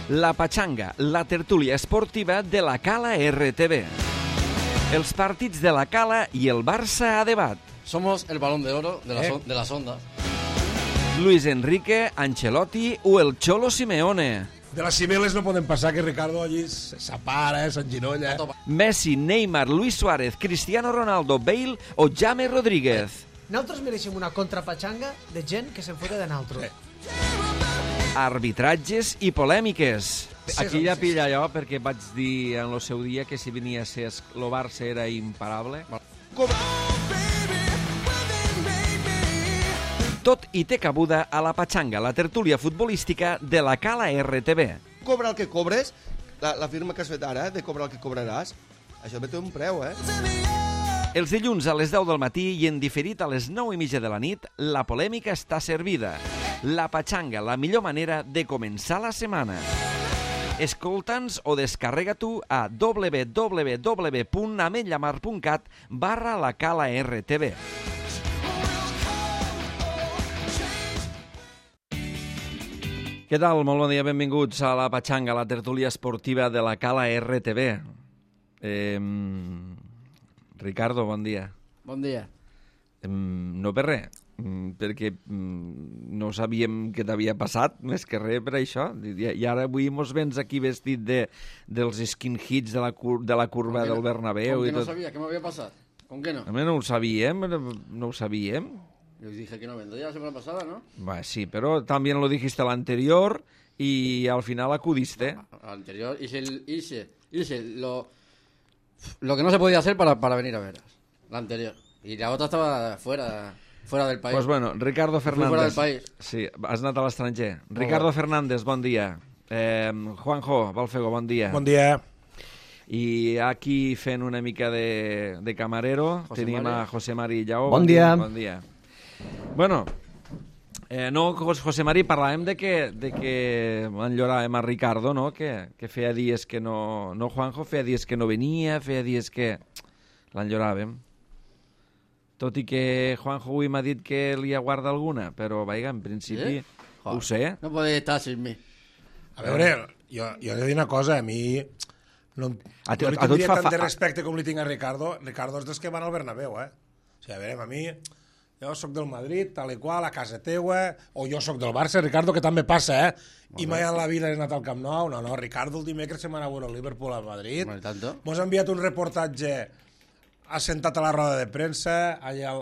La Pachanga, la tertúlia esportiva de la Cala RTV. Els partits de la Cala i el Barça a debat. Somos el balón de oro de las ondas. Luis Enrique, Ancelotti o el Cholo Simeone. De les cimeles no poden passar que Ricardo allí s'apara, s'enginolla. Messi, Neymar, Luis Suárez, Cristiano Ronaldo, Bale o James Rodríguez. Nosaltres mereixem una contrapatxanga de gent que se'n fota de naltros. Arbitratges i polèmiques. Aquí ja pilla allò perquè vaig dir en el seu dia que si venia a ser el Barça era imparable. Tot i té cabuda a la Pachanga, la tertúlia futbolística de la Cala RTV. Cobra el que cobres, la firma que has fet ara, de cobrar el que cobraràs, això té un preu, Els dilluns a les 10 del matí i en diferit a les 9:30 de la nit, la polèmica està servida. La Pachanga, la millor manera de començar la setmana. Escolta'ns o descarrega-t'ho a www.ametllamar.cat/la Cala RTV. Què tal? Molt bon dia, benvinguts a la Pachanga, la tertúlia esportiva de la Cala RTV. Ricardo, bon dia. Bon dia. No per res, perquè no sabíem què t'havia passat, més que res per això. I ara avui mos vens aquí vestit dels skinheads de la curva del Bernabéu. Com que no sabia què m'havia passat? Com que no? A mi no ho sabíem, Yo dije que no vendría la semana pasada, ¿no? Sí, pero también lo dijiste el anterior y al final acudiste. Al anterior hice lo que no se podía hacer para venir a veros. La anterior. Y la otra estaba fuera del país. Pues bueno, Ricardo Fernández. Fuera del país. Sí, has anat a l'estranger. Ricardo Fernández, bon dia. Juanjo Balfego, bon dia. Bon dia. I aquí fent una mica de camarero tenim a José Mari Lleó. Bon dia. Bon dia. Bueno, no, José Mari, parlàvem de que enlloràvem a Ricardo, no? Que feia dies que no... No, Juanjo, feia dies que no venia, feia dies que l'enlloràvem. Tot i que Juanjo avui m'ha dit que li aguarda alguna, però, vaja, en principi, ho sé. No podeu estar sin mi. A veure, jo he de dir una cosa, a mi... No li tindria tant de respecte com li tinc a Ricardo. Ricardo és dels que van al Bernabéu, O sigui, a veure, a mi... Jo soc del Madrid, tal i qual, a casa teua, o jo soc del Barça, Ricardo, que també passa, I mai en la vida he anat al Camp Nou. No, Ricardo el dimecres se m'ha anat a veure el Liverpool a Madrid. Mos ha enviat un reportatge assentat a la roda de premsa, allà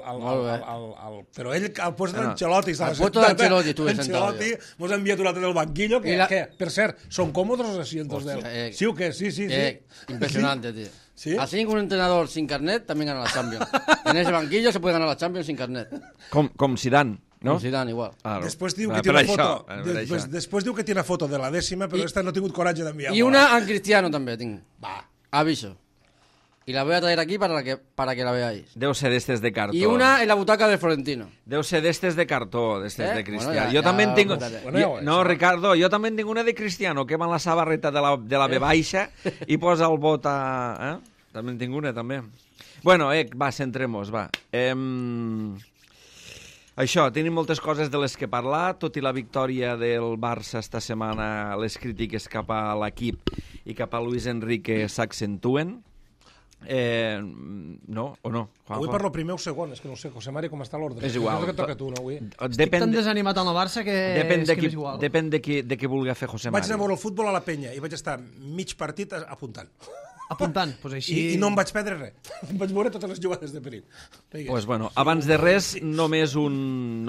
però ell al post d'Ancelotti. Al post d'Ancelotti estuve sentado yo. Mos ha enviat un altre del banquillo, que, per cert, són còmodes los asientos d'ell. ¿Sí o qué? Sí. Impresionante, tío. ¿Sí? Así que un entrenador sin carnet también gana la Champions. En ese banquillo se puede ganar la Champions sin carnet. Com Zidane, ¿no? Com Zidane, igual. Després diu que tiene foto. Després diu que tiene foto de la dècima, però esta no ha tingut coratge d'enviar. Y una a Cristiano també tinc. Va. Aviso. Y la voy a traer aquí para que la veáis. Deu ser d'estes de cartó. Y una en la butaca del Florentino. Deu ser d'estes de cartó, d'estes de Cristiano. Bueno, jo també en tinc... No, Ricardo, jo també en tinc una de Cristiano, que va en la sabarreta de la B baixa i posa el bot a... També en tinc una, també. Bueno, va, centrem-nos, va. Això, tenim moltes coses de les que parlar, tot i la victòria del Barça esta setmana, les crítiques cap a l'equip i cap a Luis Enrique s'accentuen. No, o no? Juanjo? Avui parlo primer o segon, és que no sé, José Mari, com està l'ordre? És igual. Que toca tu, no, avui? Estic tan desanimat amb el Barça que és igual. Depèn de qui vulgui fer José Mari. Vaig anar a veure el futbol a la penya i vaig estar mig partit apuntant. Doncs així... I no em vaig perdre res. Em vaig veure totes les jugades de perill. Pues bueno, abans de res, només un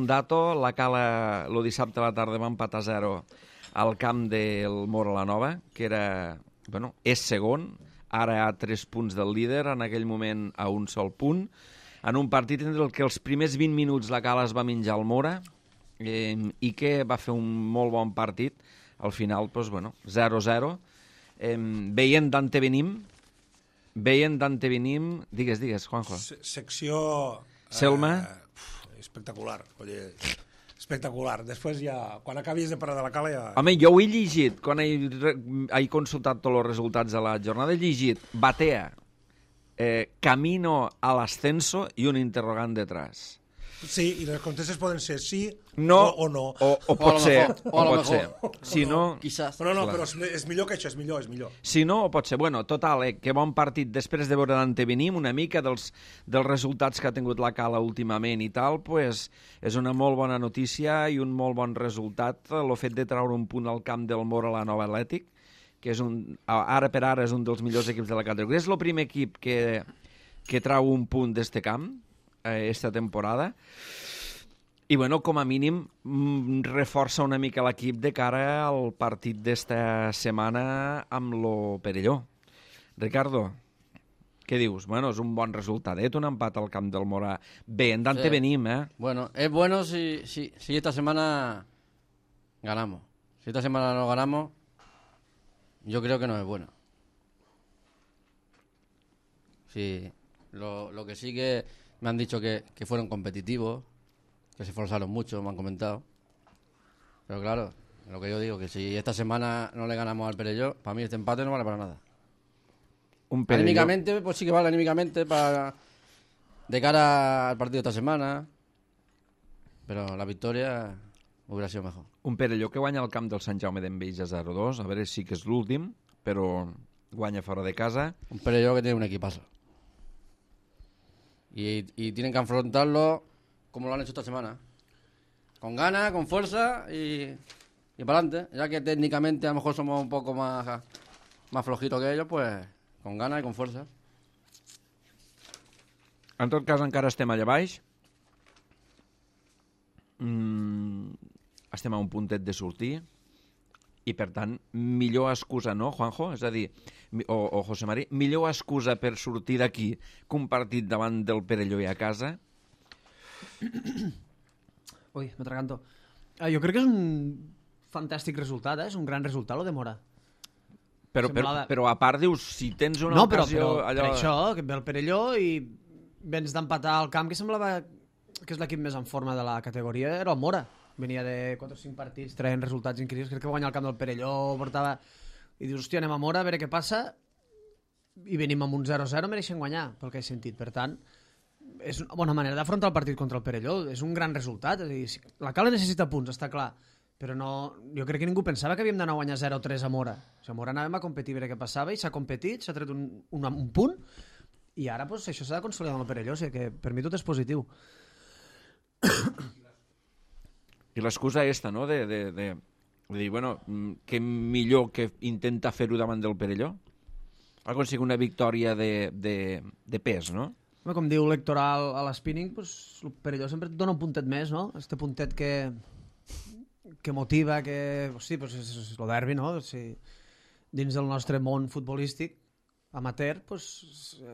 dato. La Cala, el dissabte a la tarda, va empatar 0 al camp del Mora-la-Nova, que era... Bueno, és segon, ara a 3 punts del líder, en aquell moment a un sol punt, en un partit en el que els primers 20 minuts la Cala es va menjar el Mora i que va fer un molt bon partit. Al final, doncs, bueno, 0-0. Veient d'antevenim, digues, Juanjo. Secció... Selma. Espectacular, oye... Espectacular. Després ja, quan acabis de parlar de la Cala ja... Home, jo ho he llegit, quan he consultat tots els resultats de la jornada, he llegit Batea, camino al ascenso i un interrogant detrás. Sí, i les contestes poden ser sí no, o no. O pot ser. O a lo pot ser. mejor. Si no... Quizás. No, però és millor que això, és millor. Si no, o pot ser. Bueno, total, que bon partit. Després de veure l'antevenim una mica dels resultats que ha tingut la Cala últimament i tal, pues, és una molt bona notícia i un molt bon resultat el fet de treure un punt al camp del Mora la Nova Atlètic, que és ara per ara és un dels millors equips de la categoria. És el primer equip que trau un punt d'este camp esta temporada. I, bueno, com a mínim, reforça una mica l'equip de cara al partit d'esta setmana amb lo Perelló. Ricardo, què dius? Bueno, és un bon resultadet, un empat al camp del Morà. Bé, en Dante venim, Bueno, es bueno si esta semana ganamos. Si esta semana no ganamos, yo creo que no es bueno. Sí, lo que sí que me han dicho que fueron competitivos, que se esforzaron mucho, me han comentado. Pero claro, lo que yo digo, que si esta semana no le ganamos al Perelló, para mí este empate no vale para nada. Un Perelló... Anímicamente, pues sí que vale anímicamente de cara al partido de esta semana, pero la victoria hubiera sido mejor. Un Perelló que guanya al camp del Sant Jaume d'Enveig a 0-2, a veure si que és l'últim, però guanya fora de casa. Un Perelló que tiene un equipazo. Y tienen que afrontarlo como lo han hecho esta semana. Con ganas, con fuerza y para adelante. Ya que técnicamente a lo mejor somos un poco más flojitos que ellos, pues con ganas y con fuerza. En tot cas, encara estem allà baix. Estem a un puntet de sortir. I, per tant, millor excusa, no, Juanjo? És a dir, o José Mari, millor excusa per sortir d'aquí que un partit davant del Perelló i a casa? Ui, m'atraganto. Jo crec que és un fantàstic resultat, és un gran resultat, lo de Mora. Però a part dius, si tens una ocasió... No, però per això, que ve el Perelló i vens d'empatar al camp, que semblava que és l'equip més en forma de la categoria, era el Mora. Venia de 4 o 5 partits traient resultats increïbles. Crec que va guanyar el camp del Perelló, portava... I dius, hòstia, anem a Mora, a veure què passa. I venim amb un 0-0, mereixen guanyar, pel que he sentit. Per tant, és una bona manera d'afrontar el partit contra el Perelló. És un gran resultat. És a dir, la Cala necessita punts, està clar. Però no... Jo crec que ningú pensava que havíem d'anar a guanyar 0-3 a Mora. O sigui, a Mora anàvem a competir, a veure què passava, i s'ha competit, s'ha tret un punt, i ara pues, això s'ha de consolidar amb el Perelló. O sigui que per mi tot és positiu. I l'excusa esta, no?, de dir, bueno, que millor que intenta fer-ho davant del Perelló? Ha aconseguit una victòria de pes, no? Com diu l'Hectoral a l'Spinning, pues, el Perelló sempre et dona un puntet més, no? Este puntet que motiva, que... Hosti, pues és el derbi, no? Si, dins del nostre món futbolístic amateur, pues,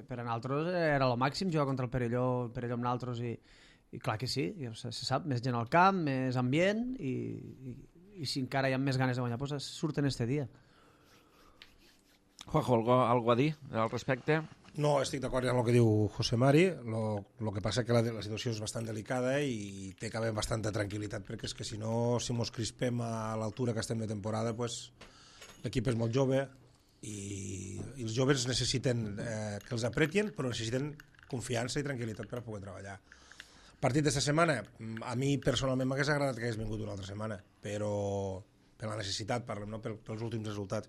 per a nosaltres era el màxim jugar contra el Perelló amb nosaltres, i clar que sí, se sap, més gent al camp, més ambient, i si encara hi ha més ganes de guanyar, doncs surten este dia. Juanjo, algo a dir al respecte? No, estic d'acord amb el que diu José Mari. Lo que passa que la situació és bastant delicada i té que haver bastanta tranquil·litat, perquè és que si no, si mos crispem a l'altura que estem de temporada, pues, l'equip és molt jove i els joves necessiten que els apretin, però necessiten confiança i tranquil·litat per a poder treballar. Partit d'esta setmana, a mi personalment m'hagués agradat que hagués vingut una altra setmana, però per la necessitat, parlem, no? Pels últims resultats.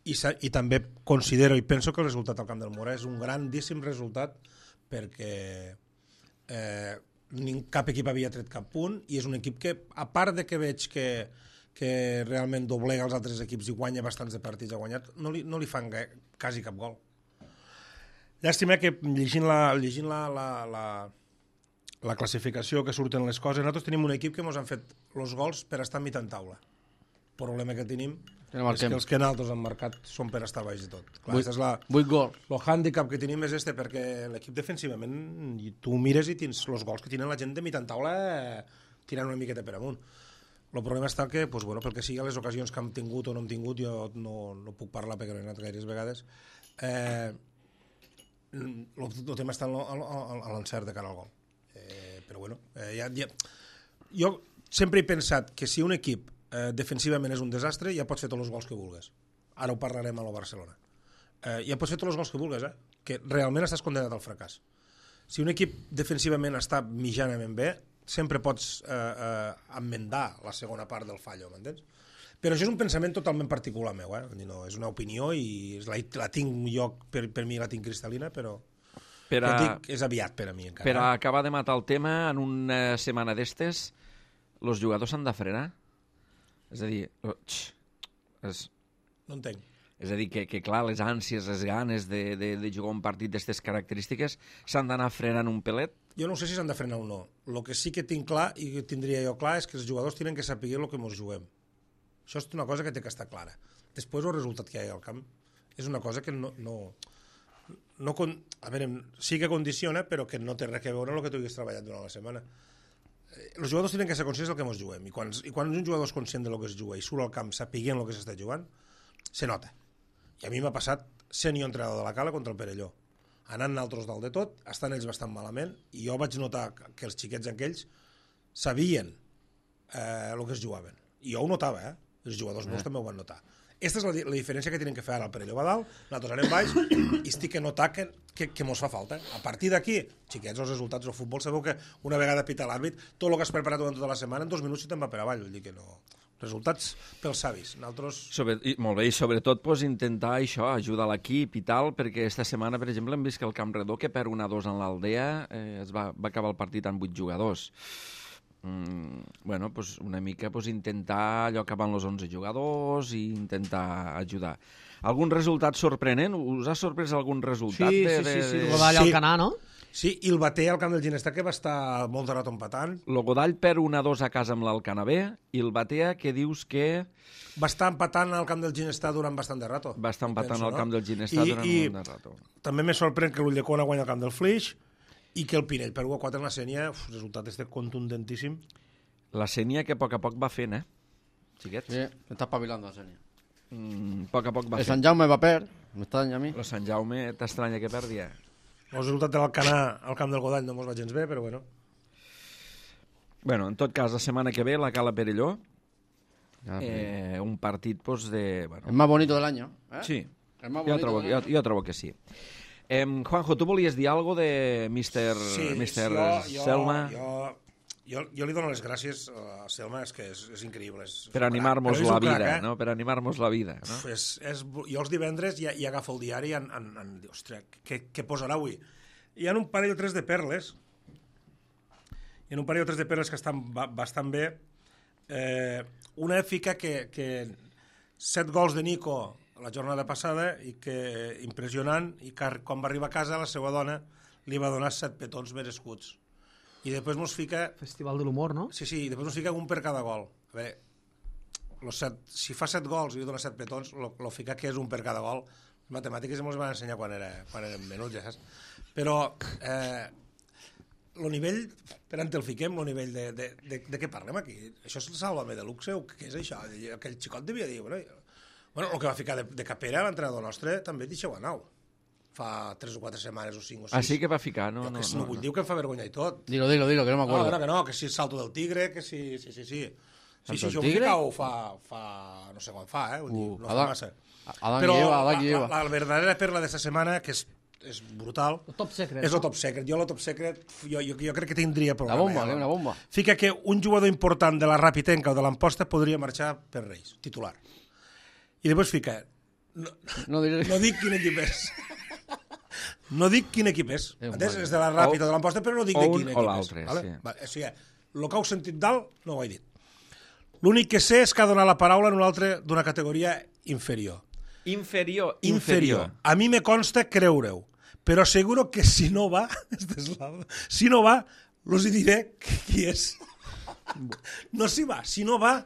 I també considero i penso que el resultat al camp del Mora és un grandíssim resultat, perquè cap equip havia tret cap punt, i és un equip que, a part de que veig que realment doblega els altres equips i guanya bastants de partits, ha guanyat, no li fan quasi cap gol. Llàstima que llegint la classificació, que surten les coses, nosaltres tenim un equip que ens han fet els gols per estar a mitjan taula. El problema que tenim és que els que nosaltres han marcat són per estar baix de tot. Clar, 8 gols. El hàndicap que tenim és perquè l'equip defensivament, tu mires i tens els gols que tenen la gent de mitjan taula tirant una miqueta per amunt. El problema està que, pues, bueno, pel que sigui, les ocasions que hem tingut o no hem tingut, jo no puc parlar perquè no he anat gaires vegades, el tema està a l'encert de cara al gol. Però bueno, jo sempre he pensat que si un equip defensivament és un desastre, ja pots fer tots els gols que vulguis. Ara ho parlarem a la Barcelona. Ja pots fer tots els gols que vulguis, que realment estàs condenat al fracàs. Si un equip defensivament està mitjanament bé, sempre pots enmendar la segona part del fallo, m'entens? Però això és un pensament totalment particular meu, no, és una opinió i la tinc jo, per mi la tinc cristal·lina, però dic, és aviat per a mi encara. Per a acabar de matar el tema, en una setmana d'estes, els jugadors s'han de frenar? És a dir, no entenc. És a dir, que clar, les ànsies, les ganes de jugar un partit d'aquestes característiques s'han d'anar frenant un pelet? Jo no sé si s'han de frenar o no. El que sí que tinc clar, i que tindria jo clar, és que els jugadors tenen que saber el que ens juguem. Això és una cosa que té que estar clara. Després el resultat que hi ha al camp és una cosa que no a veure, sí que condiciona, però que no té res a veure amb el que tu haguis treballat durant la setmana. Els jugadors tenen que ser conscients del que ens juguem, i quan un jugador és conscient del que es juga i surt al camp sapiguent el que s'està jugant, se nota. I a mi m'ha passat sent jo entrenador de la Cala contra el Perelló. Anant nosaltres dalt de tot, estan ells bastant malament, i jo vaig notar que els xiquets aquells sabien el que es jugaven. I jo ho notava, els jugadors meus també ho van notar. Aquesta és la diferència que tenen que fer ara el Perelló va dalt, nosaltres anem baix i estic a notar que mos fa falta. A partir d'aquí, xiquets, els resultats del futbol, sabeu que una vegada pita l'àrbit, tot el que has preparat durant tota la setmana, en 2 minuts si te'n va per avall. Vull dir que no... Resultats pels savis. Nosaltres... Molt bé, i sobretot intentar això, ajudar l'equip i tal, perquè esta setmana, per exemple, hem vist que el Camp Redó, que perd 1-2 en l'Aldea, es va acabar el partit amb 8 jugadors. Bueno, pues una mica intentar allò que van els 11 jugadors i intentar ajudar. Algun resultat sorprenent? Us ha sorprès algun resultat? Sí, el Godall al Canà, no? Sí, i el Bater al camp del Ginestar, que va estar molt de rato empatant. El Godall perd 1-2 a casa amb l'Alcanar B, i el Batea, que dius que... Va estar empatant al camp del Ginestar durant bastant de rato. Va estar empatant al camp del Ginestar durant molt de rato. També me sorprèn que l'Ulldecona guanya al camp del Flix, i que el Pinell per 1-4 en la Sénia, resultat contundentíssim. La Sénia que a poc va fent, xiquets? Sí, està espavilant la Sénia. A poc va fent. El Sant Jaume va perdre, m'estranya a mi. El Sant Jaume t'estranya que perdia? El resultat de l'Alcanar al camp del Godall no mos va gens bé, però bueno. Bueno, en tot cas, la setmana que ve la Cala Perelló, un partit de... Bueno, el más bonito del año. Sí, jo trobo que sí. Juanjo, tu volies dir alguna cosa de Mr. Selma? Jo li dono les gràcies a Selma, és que és increïble. Per animar-nos la vida, no? Per animar-nos la vida, no? Jo els divendres ja agafo el diari i dic, ostres, què posarà avui? Hi ha un parell o tres de perles, que estan bastant bé. Una fica que 7 gols de Nico la jornada passada, i que impressionant, i que quan va arribar a casa la seva dona li va donar 7 petons merescuts. I després mos fica... Festival de l'humor, no? Sí, i després mos fica un per cada gol. A veure, si fa 7 gols i li dona 7 petons, lo fica que és un per cada gol. Les matemàtiques mos van ensenyar quan érem menuts, ja saps? Però el nivell, per on el fiquem, el nivell de què parlem aquí? Això és el Sálvame Deluxe o què és això? Aquell xicot devia dir... Bueno, el que va ficar de capera l'entrenador nostre també deixeu a nau. Fa 3 o 4 setmanes o 5 o 6. Ah, sí que va ficar? No vull dir que em fa vergonya i tot. Dilo, que no m'acuerdo. No, que si el salto del tigre, que sí. Sí, això ho fica o fa... No sé quan fa, Vull dir, no fa massa. Però la verdadera perla d'esta setmana, que és brutal... El top secret. És el top secret. Jo el top secret, jo crec que tindria programa. Una bomba. Fica que un jugador important de la Rapitenca o de l'Amposta podria marxar per Reis, titular. I després fica... No dic quin equip és. No dic quin equip és. És de la Ràpita o de l'Amposta, però no dic de quin equip és. O l'altre, sí. O sigui, el que heu sentit dalt no ho he dit. L'únic que sé és que ha donat la paraula en un altre d'una categoria inferior. Inferior. A mi me consta creure-ho, però asseguro que si no va, us diré qui és. No si va, si no va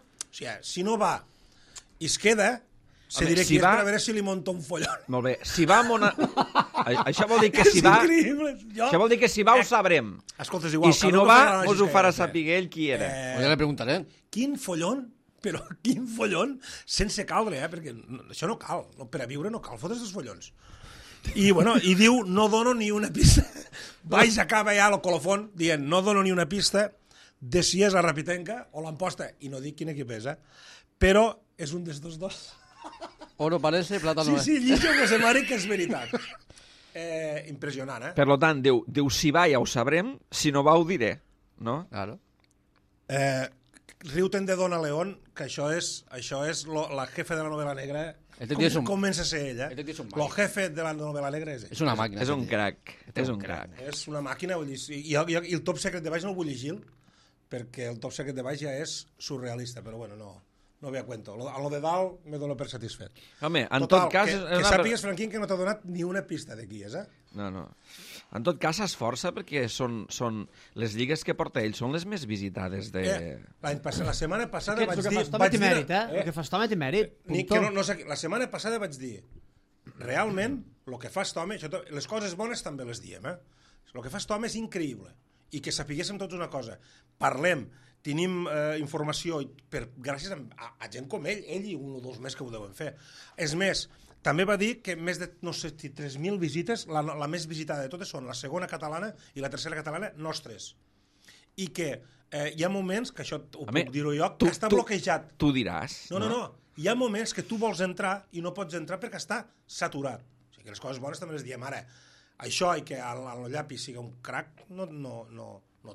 i es queda... Se diré que és per a veure si li monta un follon. Molt bé. Si va això vol dir que si va... Això vol dir que si va ho sabrem. Escolta, és igual. I si no va, us ho farà saber ell qui era. Ja li preguntaré. Quin follon, però quin follon, sense caldre, perquè això no cal. Per a viure no cal fotre's els follons. I diu, no dono ni una pista. Baix acaba ja el colofón dient, no dono ni una pista de si és la Rapitenca o l'Amposta. I no dic quin equip és, però és un dels dos. Oro parece, plata no és. Sí, llitjo que se mare que és veritat. Impressionant, Per tant, diu, si va ja ho sabrem, si no va ho diré, no? Claro. Riu-te'n de Dona León, que això és la jefe de la novel·la negra. Comença a ser ella. El jefe de la novel·la negra és ell. És una màquina. És un crac. És un crac. És una màquina. I el Top Secret de baix no el vull llegir, perquè el Top Secret de baix ja és surrealista, però bueno, no ve a cuento. A lo de dalt me dono per satisfet. Home, en tot cas... Que sàpigues, Franquín, que no t'ha donat ni una pista de qui és, eh? No. En tot cas, s'esforça perquè són les lligues que porta ell són les més visitades de... La setmana passada vaig dir... El que fa Stomet i mèrit. La setmana passada vaig dir, realment, el que fa Stomet, les coses bones també les diem, eh? El que fa Stomet és increïble. I que sapiguéssim tots una cosa. Parlem, tenim informació gràcies a gent com ell i un o dos més que ho deuen fer. És més, també va dir que més de, no sé, 3.000 visites, la més visitada de totes són la segona catalana i la tercera catalana nostres. I que hi ha moments, que això ho puc dir-ho jo, que està bloquejat. Tu diràs. No. Hi ha moments que tu vols entrar i no pots entrar perquè està saturat. O sigui que les coses bones també les diem ara. Això i que el llapi sigui un crac no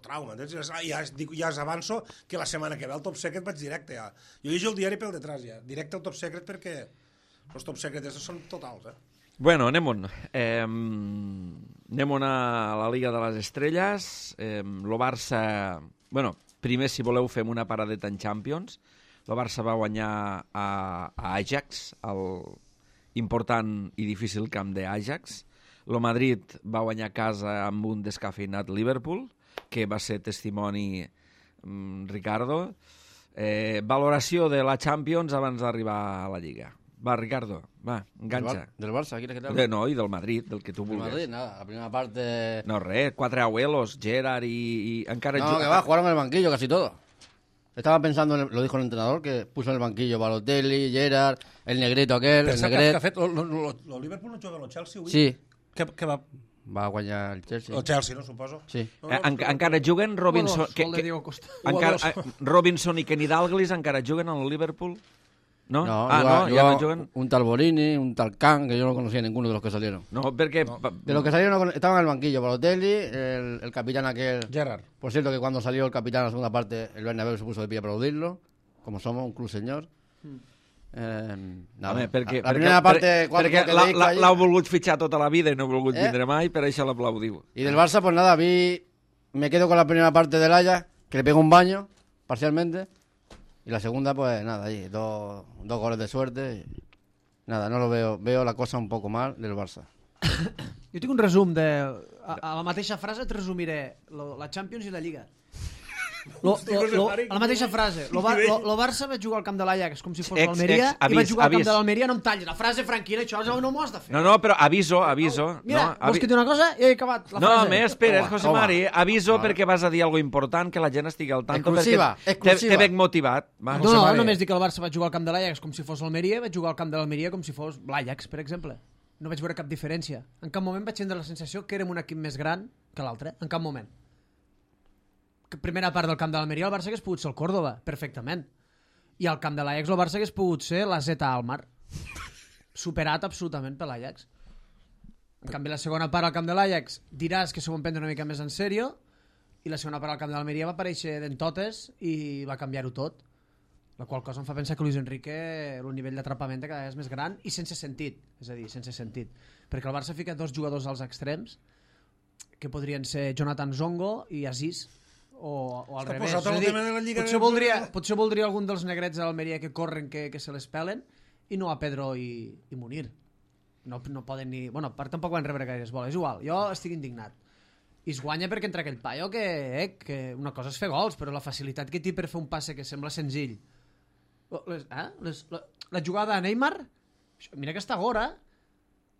trauma. Ja us avanço que la setmana que ve al Top Secret vaig directe. Ja. Jo llegeixo el diari pel detrás ja. Directe al Top Secret perquè els Top Secrets són totals. Bueno, anem-on. Anem-on a la Liga de les Estrelles. El Barça... Bueno, primer, si voleu, fem una paradeta en Champions. El Barça va guanyar a Ajax, el important i difícil camp d'Ajax. El Madrid va guanyar a casa amb un descafeinat Liverpool, que va ser testimoni Ricardo. Valoració de la Champions abans d'arribar a la Lliga. Va, Ricardo, va, enganxa. Del Barça, quina que tal? No, i del Madrid, del que tu vulguis. Del Madrid, nada, la primera parte... No, res, 4 abuelos, Gerard y... encara No, que va, jugaron en el banquillo casi todo. Estaba pensando, lo dijo el entrenador, que puso en el banquillo Balotelli, Gerard, el negrito aquel, el negret... Pensa que ha fet... El Liverpool no juga amb el Chelsea avui? Sí. Què va... Va guanyar el Chelsea. El Chelsea, no, suposo? Sí. Encara juguen Robinson... Robinson i Kenny Dalglish encara juguen al Liverpool? ¿No? Ya no juguen. Un tal Borini, un tal Kang, que yo no conocía a ninguno de los que salieron. No, porque... De los que salieron estaban en el banquillo. Balotelli, el capitán aquel... Gerard. Por cierto, que cuando salió el capitán en la segunda parte, el Bernabéu se puso de pie a aplaudirlo, como somos, un club señor. Home, perquè l'heu volgut fitxar tota la vida i no heu volgut vindre mai, per això l'aplaudiu. Y del Barça, pues nada, me quedo con la primera parte del Ajax, que le pego un baño, parcialmente, y la segunda, pues nada, ahí, dos goles de suerte, y nada, no lo veo la cosa un poco mal del Barça. Jo tinc un resum de... A la mateixa frase et resumiré la Champions i la Lliga. La mateixa frase. El Barça va jugar al camp de l'Ajax com si fos l'Almeria i va jugar al camp de l'Almeria. No em tallis la frase, Franquina, això no m'ho has de fer. No, però aviso. Mira, vols que dir una cosa? Ja he acabat la frase. No, més, espera, José Mari, aviso perquè vas a dir alguna important que la gent estigui al tanto. Exclusiva. T'he ben motivat. No, només dic que el Barça va jugar al camp de l'Ajax com si fos l'Almeria, va jugar al camp de l'Almeria com si fos l'Ajax, per exemple. No vaig veure cap diferència. En cap moment vaig tindre la sensació que érem un equip més gran que l'altre. En cap moment. Primera part del camp de l'Almeria el Barça hagués pogut ser el Córdoba, perfectament. I al camp de l'Ajax el Barça hagués pogut ser la Zeta Almar. Superat absolutament per l'Ajax. En canvi, la segona part al camp de l'Ajax diràs que s'ho van prendre una mica més en sèrio i la segona part al camp de l'Almeria va aparèixer d'en totes i va canviar-ho tot. La qual cosa em fa pensar que Luis Enrique el nivell d'atrapament cada vegada és més gran i sense sentit. És a dir, sense sentit. Perquè el Barça fica dos jugadors als extrems que podrien ser Jonathan Zongo i Aziz o al revés. Potser voldria algun dels negrets de l'Almeria que corren, que se les pelen, i no a Pedro i Munir. No poden ni... Bueno, part tampoc van rebre gaires boles. És igual, jo estic indignat. I es guanya perquè entra aquell paio que una cosa és fer gols, però la facilitat que té per fer un passe que sembla senzill. La jugada a Neymar, mira que està Gora,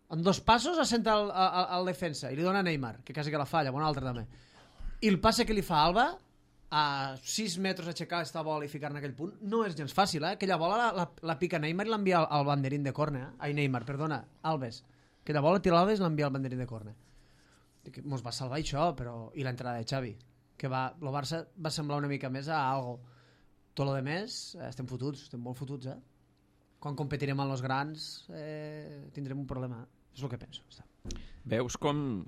en 2 passos assenta al defensa i li dona a Neymar, que quasi que la falla, un altre també. I el passe que li fa Alba, a 6 metres aixecar aquesta bola i ficar en aquell punt, no és gens fàcil, Aquella bola la pica Neymar i l'envia al banderín de córner. Ai, Neymar, perdona, Alves. Aquella bola tira l'Alves i l'envia al banderín de córner. Mos va salvar això, però... I l'entrada de Xavi, que el Barça va semblar una mica més a algo. Tot lo de més, estem fotuts, estem molt fotuts, Quan competirem amb els grans tindrem un problema. És el que penso. Veus com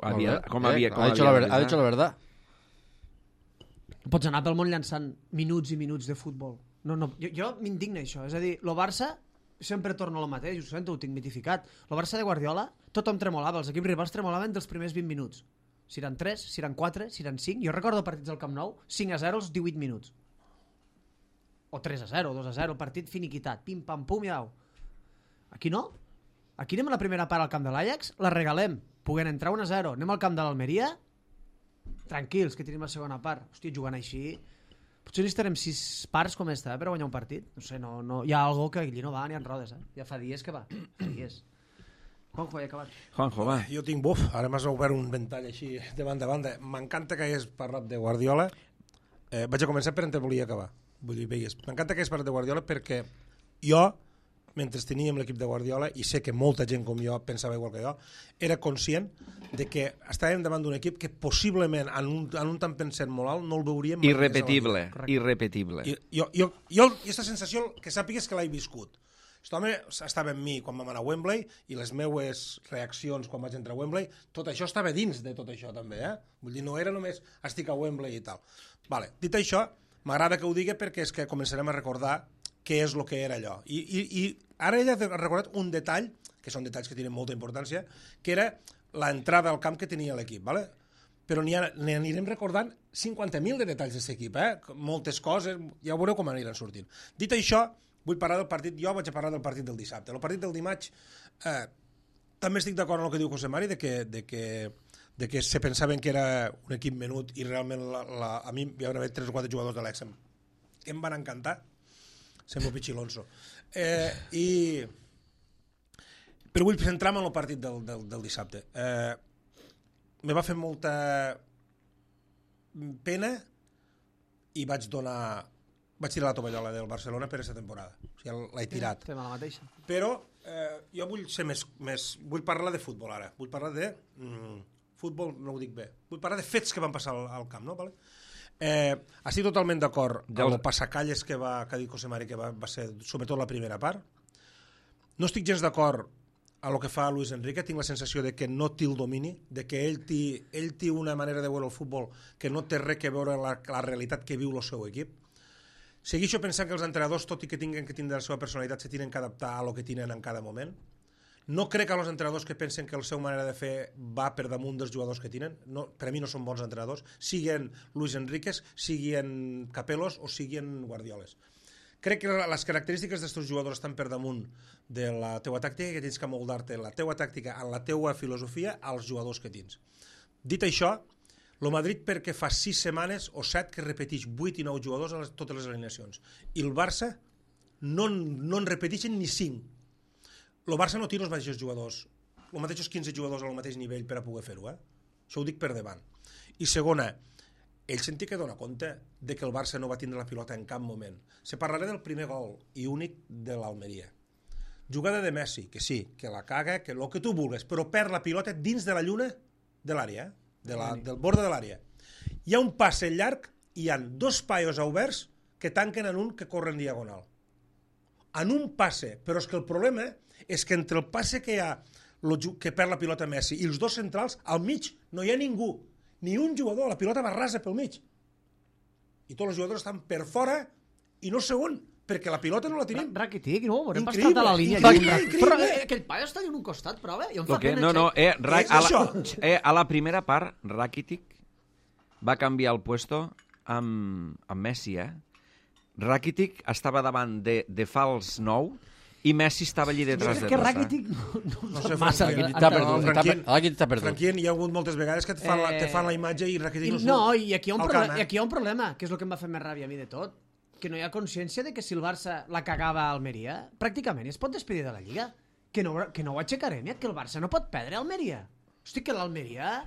havia... Ha dicho la verdad. pots anar pel món llançant minuts i minuts de futbol. No, jo m'indigna això. És a dir, el Barça, sempre torno al mateix, ho sento, ho tinc mitificat. El Barça de Guardiola, tothom tremolava, els equips rivals tremolaven dels primers 20 minuts. Si eren 3, si eren 4, si eren 5. Jo recordo partits del Camp Nou, 5-0 als 18 minuts. O 3-0, 2-0, el partit finiquitat. Pim, pam, pum, i au. Aquí no. Aquí anem a la primera part al camp de l'Ajax, la regalem, puguem entrar 1-0. Anem al camp de l'Almeria, tranquils, que tenim la segona part. Hòstia, jugant així... Potser necessitarem 6 parts com esta, per guanyar un partit. No sé, no, hi ha algo que allí no va ni en rodes, Ja fa dies que va. Fa dies. Juanjo, ja acabat. Juanjo, va. Jo tinc buf, ara m'has obert un ventall així de banda a banda. M'encanta que hagués parlat de Guardiola. Vaig a començar per on te volia acabar. Vull dir, veigues. M'encanta que hagués parlat de Guardiola perquè jo, mentre teníem l'equip de Guardiola, i sé que molta gent com jo pensava igual que jo, era conscient de que estàvem davant d'un equip que possiblement en un temps pensat molt alt no el veuríem mai irrepetible. Jo aquesta sensació que sàpigues que l'he viscut. Aquest home estava amb mi quan vam anar a Wembley i les meues reaccions quan vaig entrar a Wembley, tot això estava dins de tot això també, Vull dir, no era només estic a Wembley i tal. Vale. Dit això, m'agrada que ho digui perquè és que començarem a recordar què és el que era allò. I ara ella ha recordat un detall, que són detalls que tenen molta importància, que era l'entrada al camp que tenia l'equip, ¿vale? Però n'hi anirem recordant 50.000 de detalls d'aquest equip, moltes coses, ja veureu com aniran sortint. Dit això, vull parlar del partit, jo vaig a parlar del partit del dissabte. El partit del dimarts, també estic d'acord amb el que diu José Mari, de que se pensaven que era un equip menut i realment a mi hi va haver 3 o 4 jugadors de l'Exem que em van encantar. Sembla Pichilonso. Però vull centrar-me en el partit del dissabte. Me va fer molta pena i vaig tirar la tovallola del Barcelona per aquesta temporada. O sigui, l'he tirat. Fem la mateixa. Però jo vull ser més... Vull parlar de futbol ara. Vull parlar de... futbol no ho dic bé. Vull parlar de fets que van passar al camp, no? Vale? Estic totalment d'acord amb el passacalles que ha dit José Mari, que va ser sobretot la primera part. No estic gens d'acord a lo que fa Luis Enrique. Tinc la sensació de que no té el domini, de que ell té una manera de veure el futbol que no té res que veure la realitat que viu el seu equip. Segueixo pensant que els entrenadors, tot i que tinguin que tindre la seva personalitat, se tenen que adaptar a lo que tenen en cada moment. No crec que els entrenadors que pensen que la seva manera de fer va per damunt dels jugadors que tenen. No, per a mi no són bons entrenadors, siguin Luis Enríquez, siguin Capelos o siguin Guardioles. Crec que les característiques d'aquests jugadors estan per damunt de la teua tàctica, que tens que moldar-te la teua tàctica, en la teua filosofia, als jugadors que tens. Dit això, el Madrid perquè fa 6 setmanes o 7 que repeteix 8 i 9 jugadors a totes les alineacions. I el Barça no en repeteixen ni 5. El Barça no tira els mateixos jugadors, els mateixos 15 jugadors al mateix nivell per a poder fer-ho, Això ho dic per davant. I segona, ell sentia que dona compte de que el Barça no va tindre la pilota en cap moment. Se parlarà del primer gol i únic de l'Almeria. Jugada de Messi, que sí, que la caga, que el que tu vulguis, però perd la pilota dins de la lluna de l'àrea, del borde de l'àrea. Hi ha un passe llarg i hi ha 2 paios oberts que tanquen en un que corre en diagonal. En un passe, però és que el problema és que entre el passe que hi ha que perd la pilota Messi i els 2 centrals, al mig no hi ha ningú, ni un jugador, la pilota va rasa pel mig. I tots els jugadors estan per fora i no segon, perquè la pilota no la tenim. Rakitic, no? Haurem passat a la línia. Però aquell paio està en un costat, prova. I em fa pena. A la primera part, Rakitic va canviar el puesto amb Messi, Rakitic estava davant de fals 9 i Messi estava allí detrás de que Rakitic no sé massa. Rakitic està perdut. Franquien, hi ha hagut moltes vegades que te fan la imatge i Rakitic no surt. No, i aquí hi ha un problema, que és el que em va fer més ràbia a mi de tot, que no hi ha consciència de que si el Barça la cagava a Almeria, pràcticament es pot despedir de la Lliga. Que no ho aixecarem, que el Barça no pot perdre a Almeria. Hosti, que l'Almeria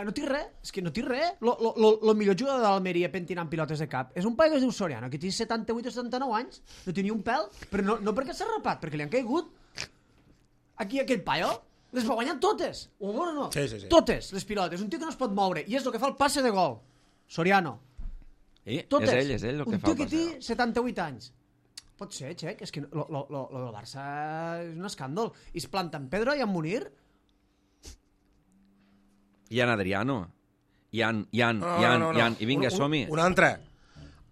no té res, és que no té res. El millor jugador de l'Almeria pentinant pilotes de cap és un paio que es diu Soriano, que té 78 o 79 anys, no té ni un pèl, però no perquè s'ha rapat, perquè li han caigut. Aquí aquest paio les va guanyar totes, o no? Sí. Totes les pilotes, un tio que no es pot moure, i és el que fa el passe de gol. Soriano. Totes. És ell el que fa el passe. Un tio que té 78 anys. Pot ser, Xec, és que lo del Barça és un escàndol. I es planta en Pedro i en Munir. I en Adriano. I vinga, som-hi. Una altra.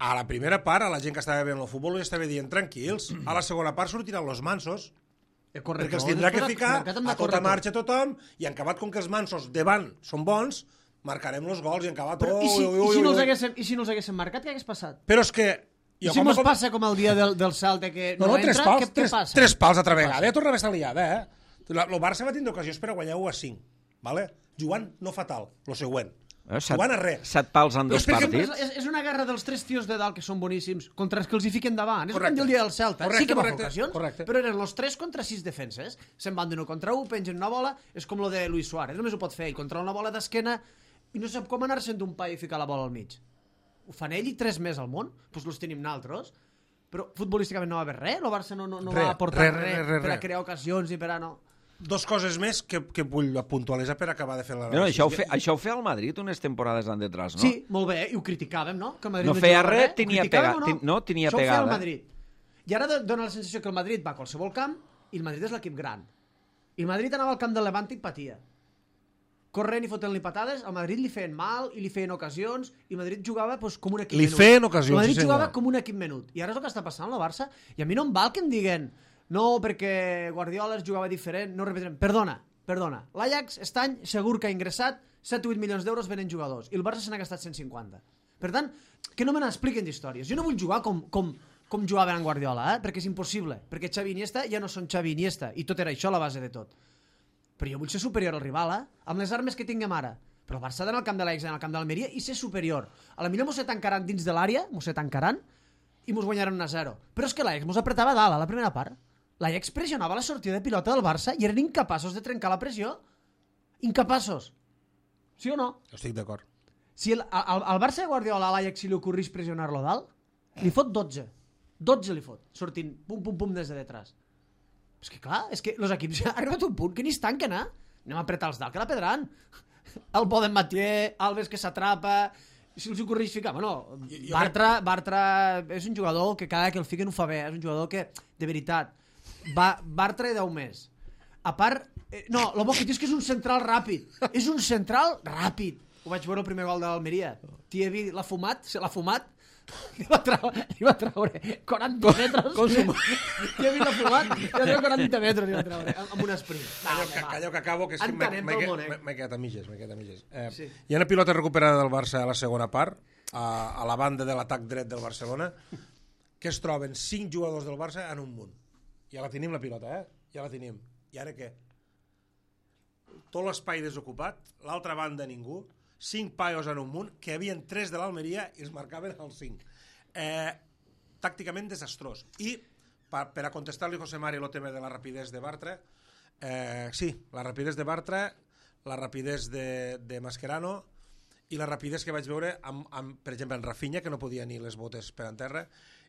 A la primera part, a la gent que estava veient el futbol li estava dient tranquils. A la segona part sortiran los mansos. Perquè els tindrà que ficar a tota marxa tothom i en acabat, com que els mansos davant són bons, marcarem els gols i en acabat... I si no els haguéssim marcat, què hagués passat? Però és que... I si mos passa com el dia del Celta que no entra, què passa? Tres pals altra vegada, ja tornava a estar liada, El Barça va tindre ocasions per a guanyar 1-5, vale? Jugant no fatal, lo següent. Jugant a res. 7 pals en 2 partits. És una guerra dels 3 tios de dalt que són boníssims contra els que els hi fiquen davant. És el dia del Celta. Sí que va fer ocasions, però eren els 3 contra 6 defenses. Se'n van d'1 contra 1, pengen una bola, és com lo de Luis Suárez. Només ho pot fer ell, contra una bola d'esquena i no sap com anar-se'n d'un pa i ficar la bola al mig. Ho fan ell i 3 més al món, doncs los tenim naltros. Però futbolísticament no va haver res, el Barça no va aportar res per a crear ocasions i per a no... 2 coses més que vull puntualitzar per acabar de fer la... No, això ho feia el Madrid unes temporades d'an detrás, no? Sí, molt bé, i ho criticàvem, no? Que el Madrid no feia res, tenia pegada. No, tenia això pegada. Això ho feia el Madrid. I ara dona la sensació que el Madrid va a qualsevol camp i el Madrid és l'equip gran. I el Madrid anava al camp del Levante i patia. Corrent i fotent-li patades, al Madrid li feien mal i li feien ocasions i el Madrid jugava pues, com un equip menut. Li feien ocasions, el Madrid jugava com un equip menut. I ara és el que està passant al Barça. I a mi no em val que em diguen no, perquè Guardiola es jugava diferent, no repetirem. Perdona. L'Ajax, aquest any, segur que ha ingressat 7 o 8 milions d'euros venent jugadors i el Barça se n'ha gastat 150. Per tant, que no me n'expliquen d'històries. Jo no vull jugar com jugava en Guardiola, perquè és impossible. Perquè Xavi i Iniesta ja no són Xavi i Iniesta i tot era això la base de tot. Però jo vull ser superior al rival, amb les armes que tinguem ara. Però el Barça ha d'anar al camp de l'Ajax, al camp de l'Almeria i ser superior. A la millor mos se tancaran dins de l'àrea, i mos guanyaran 1-0. Però és que l'Ajax mos apretava dalt a la primera part. L'Ajax pressionava la sortida de pilota del Barça i eren incapaços de trencar la pressió. Incapaços. Sí o no? Estic d'acord. Si el Barça de Guardiola a l'Ajax si li ocorrís pressionar-lo dalt, li fot 12. 12 li fot, sortint pum des de detrás. És que clar, és que els equips ja han arribat a un punt que ni es tanquen, Anem a apretar els dalt, que la pedran. El Boden Mathieu, Alves que s'atrapa... Si els ocorreix ficar... Bueno, Bartra és un jugador que cada que el fiquen ho fa bé. És un jugador que, de veritat, Bartra i 10 més. A part... No, el bo que dius que és un central ràpid. És un central ràpid. Ho vaig veure el primer gol de l'Almeria. Thierry l'ha fumat, se l'ha fumat. Li va traure 40 metres. Thierry l'ha fumat, li va treure 40 metres li va treure, amb un sprint. Calleu que acabo, que és que m'he quedat a mitges. Sí. Hi ha una pilota recuperada del Barça a la segona part, a la banda de l'atac dret del Barcelona, que es troben 5 jugadors del Barça en un munt. Ja la tenim la pilota, Ja la tenim. I ara què? Tot l'espai desocupat, l'altra banda ningú, 5 paios en un munt, que hi havia 3 de l'Almeria i els marcaven els 5. Tàcticament desastrós. I, per a contestar-li a José Mari el tema de la rapidesa de Bartra, sí, la rapidesa de Bartra, la rapidesa de Mascherano i la rapidesa que vaig veure, per exemple, en Rafinha, que no podia ni les botes per en terra,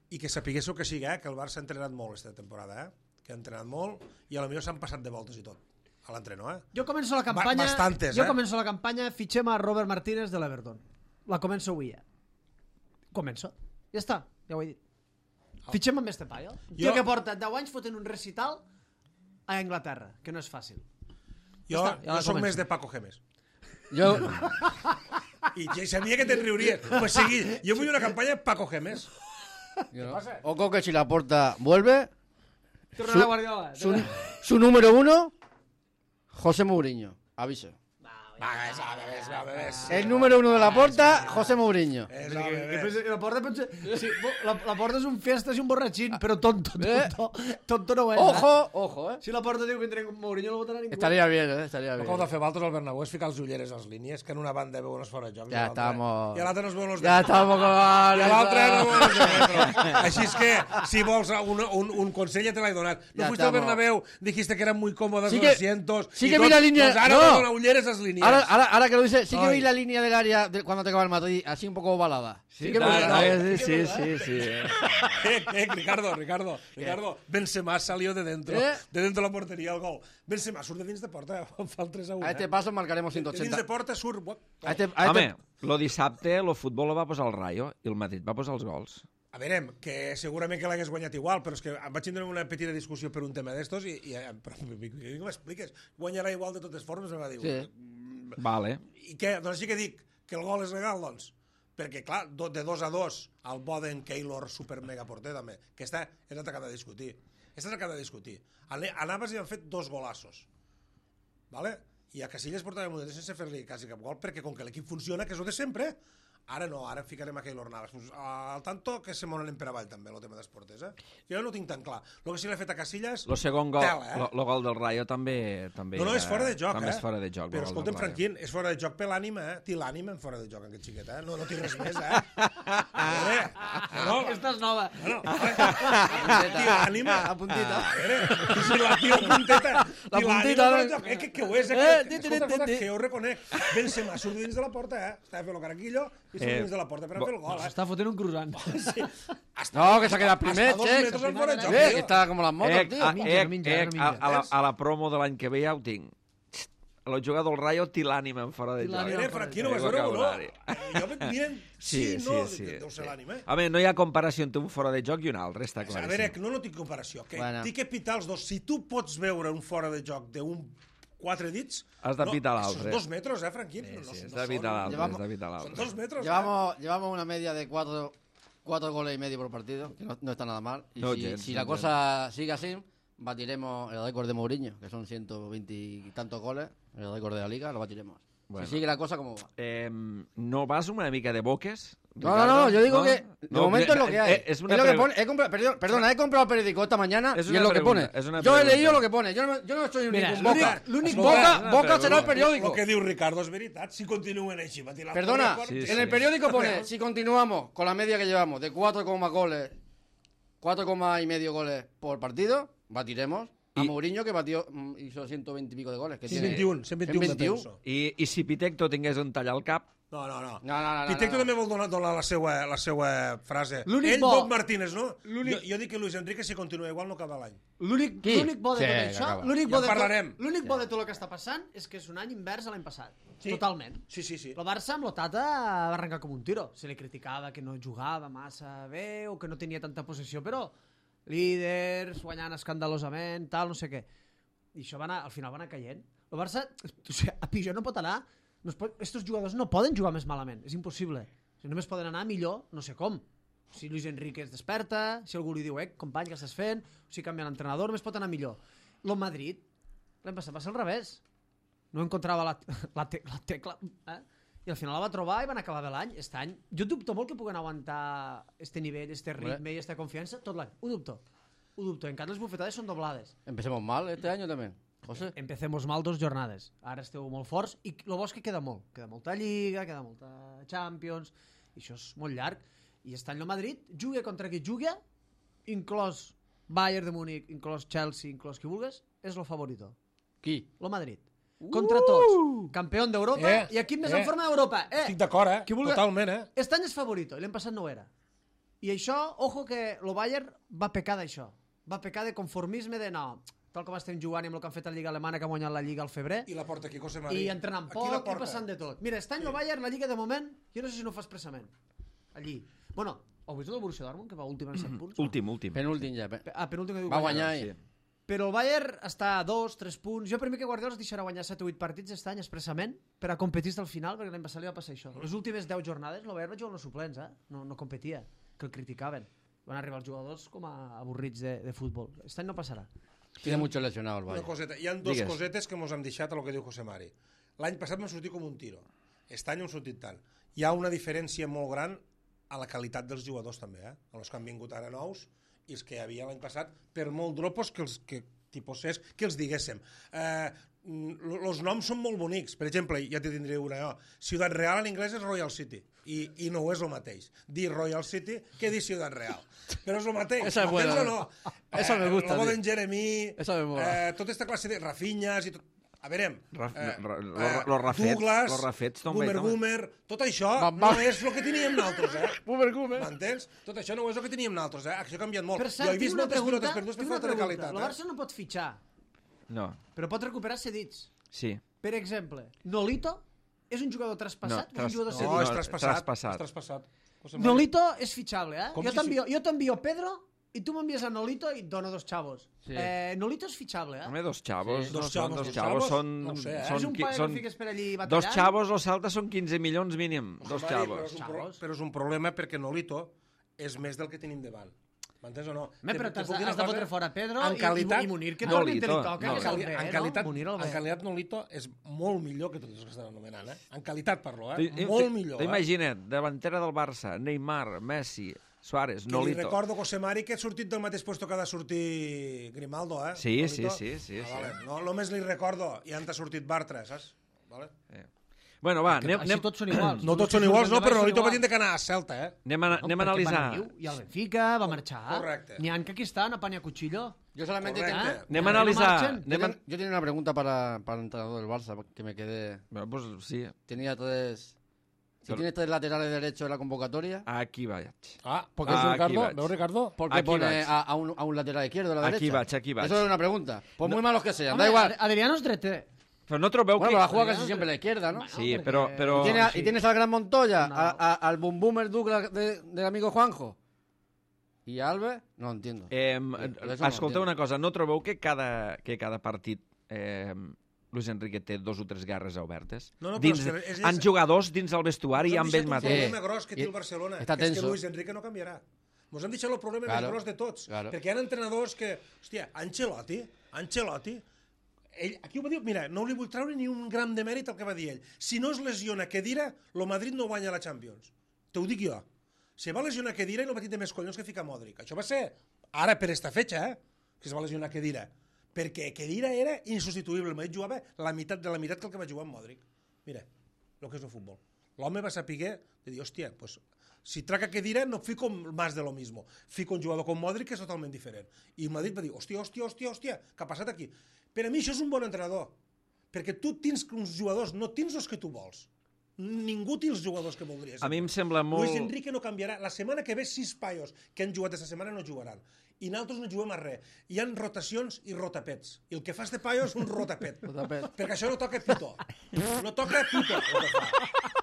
i que sapiguéssiu que sigui, que el Barça ha entrenat molt aquesta temporada, que ha entrenat molt, i potser s'han passat de voltes i tot. A l'entreno, Jo començo la campanya... Bastantes, Jo començo la campanya, fitxem a Robert Martínez de l'Everton. La començo avui, Començo. Ja està, ja ho he dit. Fitxem amb este paio. Tio que porta 10 anys fotent un recital a Anglaterra, que no és fàcil. Jo soc més de Paco Gémez. Jo... I ja sabia que te'n riuries. Pues seguí, jo vull una campanya Paco Gémez. Ojo que si la porta vuelve... Tornarà Guardiola. Su número 1... José Mourinho, aviso. El número 1 de la Porta, José Mourinho. La Porta és un fiestas i un borratxín, però tonto no ho és. Ojo. Si la Porta diu que entrem con Mourinho no votarà ningú. Estaria bien, estaria bien. Com de fer Valtos al Bernabéu és ficar els ulleres als línies, que en una banda veuen els fora de joc. Ja estamos... I a l'altra no es veuen els de Ja estamos con... I a l'altra no veuen els de metro. Així és que, si vols un consell ja te l'he donat. No fuiste al Bernabéu, dijiste que eran muy cómodos los asientos. Sí que vi la línea... Pues ahora no donan ulleres als línies. Ahora que lo dice, sí que vi la línea del área cuando te acaba el Madrid, así un poco ovalada. Sí, sí. Ricardo. Benzema salió de dentro de la portería el gol. Benzema surt de dins de porta, fa el 3-1. A este paso marcaremos 180. De dins de porta surt... Home, lo dissabte el futbol lo va posar el Rayo i el Madrid va posar els gols. A veure, que segurament que l'hagués guanyat igual, però és que em vaig tindre una petita discussió per un tema d'estos i però m'expliques, guanyarà igual de totes formes, em va dir. Sí. Vale. I què? Doncs així que dic, que el gol és legal, doncs? Perquè, clar, de 2-2 al Boden Keylor super mega porter, també, que és el que acaba de discutir. És el que acaba de discutir. A Navas hi han fet 2 golassos. ¿Vale? I a Casillas portava un sense fer-li quasi cap gol, perquè com que l'equip funciona, que és el de sempre, ara no, ara ficarem a Keylor Navas. Al tanto que se monen per avall també, el tema dels porters, Jo no ho tinc tan clar. El que sí l'ha fet a Casillas... El segon gol, el gol del Rayo també no, és fora de joc, també és fora de joc. Però escolta'm, Franquín, és fora de joc per l'ànima, Té l'ànima en fora de joc, aquest xiquet, No té res més, Aquesta és nova. Té l'ànima... La puntita. Si la tio punteta. La puntita. Que ho és, escolta, que jo ho reconec. Benzema surt dins de la porta, Estava fent el caraquillo i surt dins de la porta per a fer el gol, S'està fotent un croissant. No, que s'ha quedat primer, Xec. Que està com les motos, tio. A la promo de l'any que ve ja ho tinc. El jugador del Rayo té l'ànima en fora de joc. Franquino, vas veure o no? Jo miren, sí, no, deu ser l'ànima. Home, no hi ha comparació entre un fora de joc i un altre, està claríssim. A veure, no tinc comparació. Tinc que pitar els dos. Si tu pots veure un fora de joc d'un 4 dits... Has de pitar l'altre. Són 2 metres, Franquín? Sí, has de pitar l'altre. Son 2 metros. Llevamos una media de 4 goles y medio por partido, que no está nada mal. Y si la cosa sigue así, batiremos el récord de Mourinho, que son 120 y tantos goles, el récord de la Liga, lo batiremos. Bueno. Si sigue la cosa, ¿cómo va? ¿No vas una mica de boques? No, yo digo que de momento es lo que hay. Es lo que pone. He comprado el periódico esta mañana y es lo que pone. Yo he leído lo que pone. Yo no soy un boca. Boca será el periódico. Lo que diu Ricardo es veritat. Si continúen així, perdona, en el periódico pone, si continuamos con la media que llevamos de 4,5 goles por partido, batiremos a Mourinho, que hizo 120 y pico de goles. 121. I si Pitecto tingués un tall al cap? No. Pitecto també vol donar la seva frase. Ell, Bob Martínez, no? Jo dic que Luis Enrique, si continua igual, no acaba l'any. L'únic bo de tot això, l'únic bo de tot el que està passant és que és un any invers a l'any passat. Totalment. Sí. El Barça amb l'Otata va arrencar com un tiro. Se li criticava que no jugava massa bé o que no tenia tanta possessió, però líders, guanyant escandalosament, tal, no sé què. I això al final va anar caient. El Barça, a pitjor no pot anar. Estos jugadors no poden jugar més malament, és impossible. Si només poden anar millor, no sé com. Si Luis Enrique es desperta, si algú li diu, company, què estàs fent? O si canvia l'entrenador, només pot anar millor. El Madrid, l'any passat va ser al revés. No encontrava la tecla, i al final la va trobar i van acabar bé l'any. Aquest any, jo dubto molt que puguen aguantar este nivell, este ritme i esta confiança tot l'any. Ho dubto. Encara les bufetades són doblades. Empecemos mal este año también. José. Empecemos mal 2 jornades. Ara esteu molt forts i el bo és que queda molt. Queda molta Lliga, queda molta Champions, i això és molt llarg. I aquest any el Madrid juga contra qui juga, inclòs Bayern de Múnich, inclòs Chelsea, inclòs qui vulgues, és el favorito. Qui? El Madrid. Contra tots. Campió d'Europa i equip més en forma d'Europa. Estic d'acord, totalment, Aquest any és favorito i l'any passat no ho era. I això, ojo que el Bayern va pecar d'això. Va pecar de conformisme de no... tal com estem jugant i amb el que han fet a la Lliga Alemana, que ha guanyat la Lliga al febrer. I la porta aquí, José María. I entrenant poc i passant de tot. Mira, aquest any el Bayern, la Lliga de moment, jo no sé si no ho fa expressament. Allí. Bueno, heu vist el Borussia Dortmund, que va últim en 7 punts? Últim. Penúltim ja. Penúltim que diu va guanyar. Sí. Però el Bayern està a 2-3 punts. Jo per mi que Guardiola es deixarà guanyar 7 o 8 partits aquest any expressament per a competir al final, perquè l'any passat li va passar això. Les últimes 10 jornades el Bayern va jugar amb els suplents, no competia, que el criticaven. Van arribar els jugadors com a avorrits de futbol. Aquest any no passarà. Tiene mucho lesionado el Bayern. Una coseta. Hi ha dos cosetes que mos hem deixat a lo que diu José Mari. L'any passat m'ha sortit com un tiro. Aquest any hem sortit tant. Hi ha una diferència molt gran a la qualitat dels jugadors també, els que han vingut ara nous i els que hi havia l'any passat, per molt dropos que els diguéssim. Els noms són molt bonics. Per exemple, ja te tindré una jo. Ciutat Real en anglès és Royal City i no és el mateix. Dir Royal City que dir Ciutat Real. Però és el mateix. Esa es buena. No? Esa me gusta. El Boden Jeremy, tota aquesta classe de Rafinhas i tot. A veure, Douglas, Boomer, tot això no és el que teníem nosaltres, Boomer. M'entens? Tot això no és el que teníem nosaltres, Això ha canviat molt. Per cert, jo he vist moltes pilotes perdudes per falta de qualitat. El Barça no pot fitxar. No. Però pot recuperar cedits. Sí. Per exemple, Nolito és un jugador traspassat o un jugador cedit? No, és traspassat. Nolito és fitxable, Jo t'envio Pedro i tu m'envies a Nolito i et dona 2 xavos. Sí. Nolito és fitxable, Home, 2 xavos, Sí. no Dos són xavos, 2 dos xavos, xavos, són... no ho sé, És un paio que fiques per allí 2 batallant. xavos o salta són 15 milions mínim, 2 Home, xavos. Però és un problema perquè Nolito és més del que tenim davant. M'entens o no? Però Te has puc dir una de cosa? fotre fora Pedro En qualitat- i Munir, que No, torni Lito, li toca, no, que és el bé, en qualitat, no? Munir el en bé. qualitat Nolito és molt millor que tots els que estan anomenant, eh? En qualitat parlo, Tu- molt millor. T'imagina't, davantera del Barça, Neymar, Messi, Suárez, Que li Nolito. recordo, José Mari, que ha sortit del mateix puesto que ha de sortir Grimaldo, eh? Sí, Nolito. sí. Vale. No, només li recordo, i han sortit Bartra, saps? Vale? Bueno, va, Així tots són iguals. No tots són iguals, no, però Nolito va dir tindre que anar a Celta, eh? anem a analitzar. I el Benfica va marxar. Correcte. N'hi ha que aquí estan a Panya Cuchillo. Yo solamente Correcte. Anem a No analitzar. marxen. yo tenía una pregunta para el entrenador del Barça, que me quedé... Bueno, pues sí, Tenía 3... Si Pero- tiene 3 laterales derechos en la convocatoria, aquí vaig. Ah, Porque Ah, Ricardo, aquí vaig. ¿veo Ricardo? ¿por qué Aquí pone vaig. a un lateral izquierdo a la Aquí derecha? vaig. Eso es una pregunta. Pues muy malos que sean, Home, da igual. Adriano és dreter. Però no trobeu Bueno, que... pero la juega casi siempre a la izquierda, ¿no? Sí, perquè- però... Y tienes al gran Montoya, No. al Boom Boomer Douglas del amigo Juanjo. ¿Y a Alves? No entiendo. Eh, Això no escolteu entenc. una cosa, no trobeu que cada partit Luis Enrique té 2 o 3 guerres obertes? No, no, però dins, és que és- han jugadors dins el vestuari i amb ell un mateix. problema gros que té el Barcelona, Està que és que tenso. Luis Enrique no canviarà. Mos han deixat el problema Claro, més gros de tots. claro. Perquè hi ha entrenadors que... Hòstia, Ancelotti, ell, aquí ho va dir, mira, no li vull treure ni un gram de mèrit al que va dir ell. Si no es lesiona Khedira, el Madrid no guanya la Champions. Te ho dic jo. Se va lesionar Khedira i no va tindre més collons que ficar Modric. Això va ser ara per esta fetxa, que es va lesionar Khedira. Perquè Khedira era insubstituïble. El Madrid jugava la meitat de la meitat que el que va jugar amb Modric. Mira, el que és el futbol. L'home va saber de dir, hòstia, pues, si traca Khedira no fico más de lo mismo. Fico un jugador com Modric que és totalment diferent. I el Madrid va dir, hòstia, què ha passat aquí? Per a mi això és un bon entrenador. Perquè tu tens uns jugadors, no tens els que tu vols. Ningú té els jugadors que voldries. A mi em sembla molt... Luis Enrique no canviarà. La setmana que ve 6 paios que han jugat aquesta setmana no jugaran. I nosaltres no juguem a res. Hi ha rotacions i rotapets. I el que fa este paio és un rotapet. Perquè això no toca pito. No toca pito.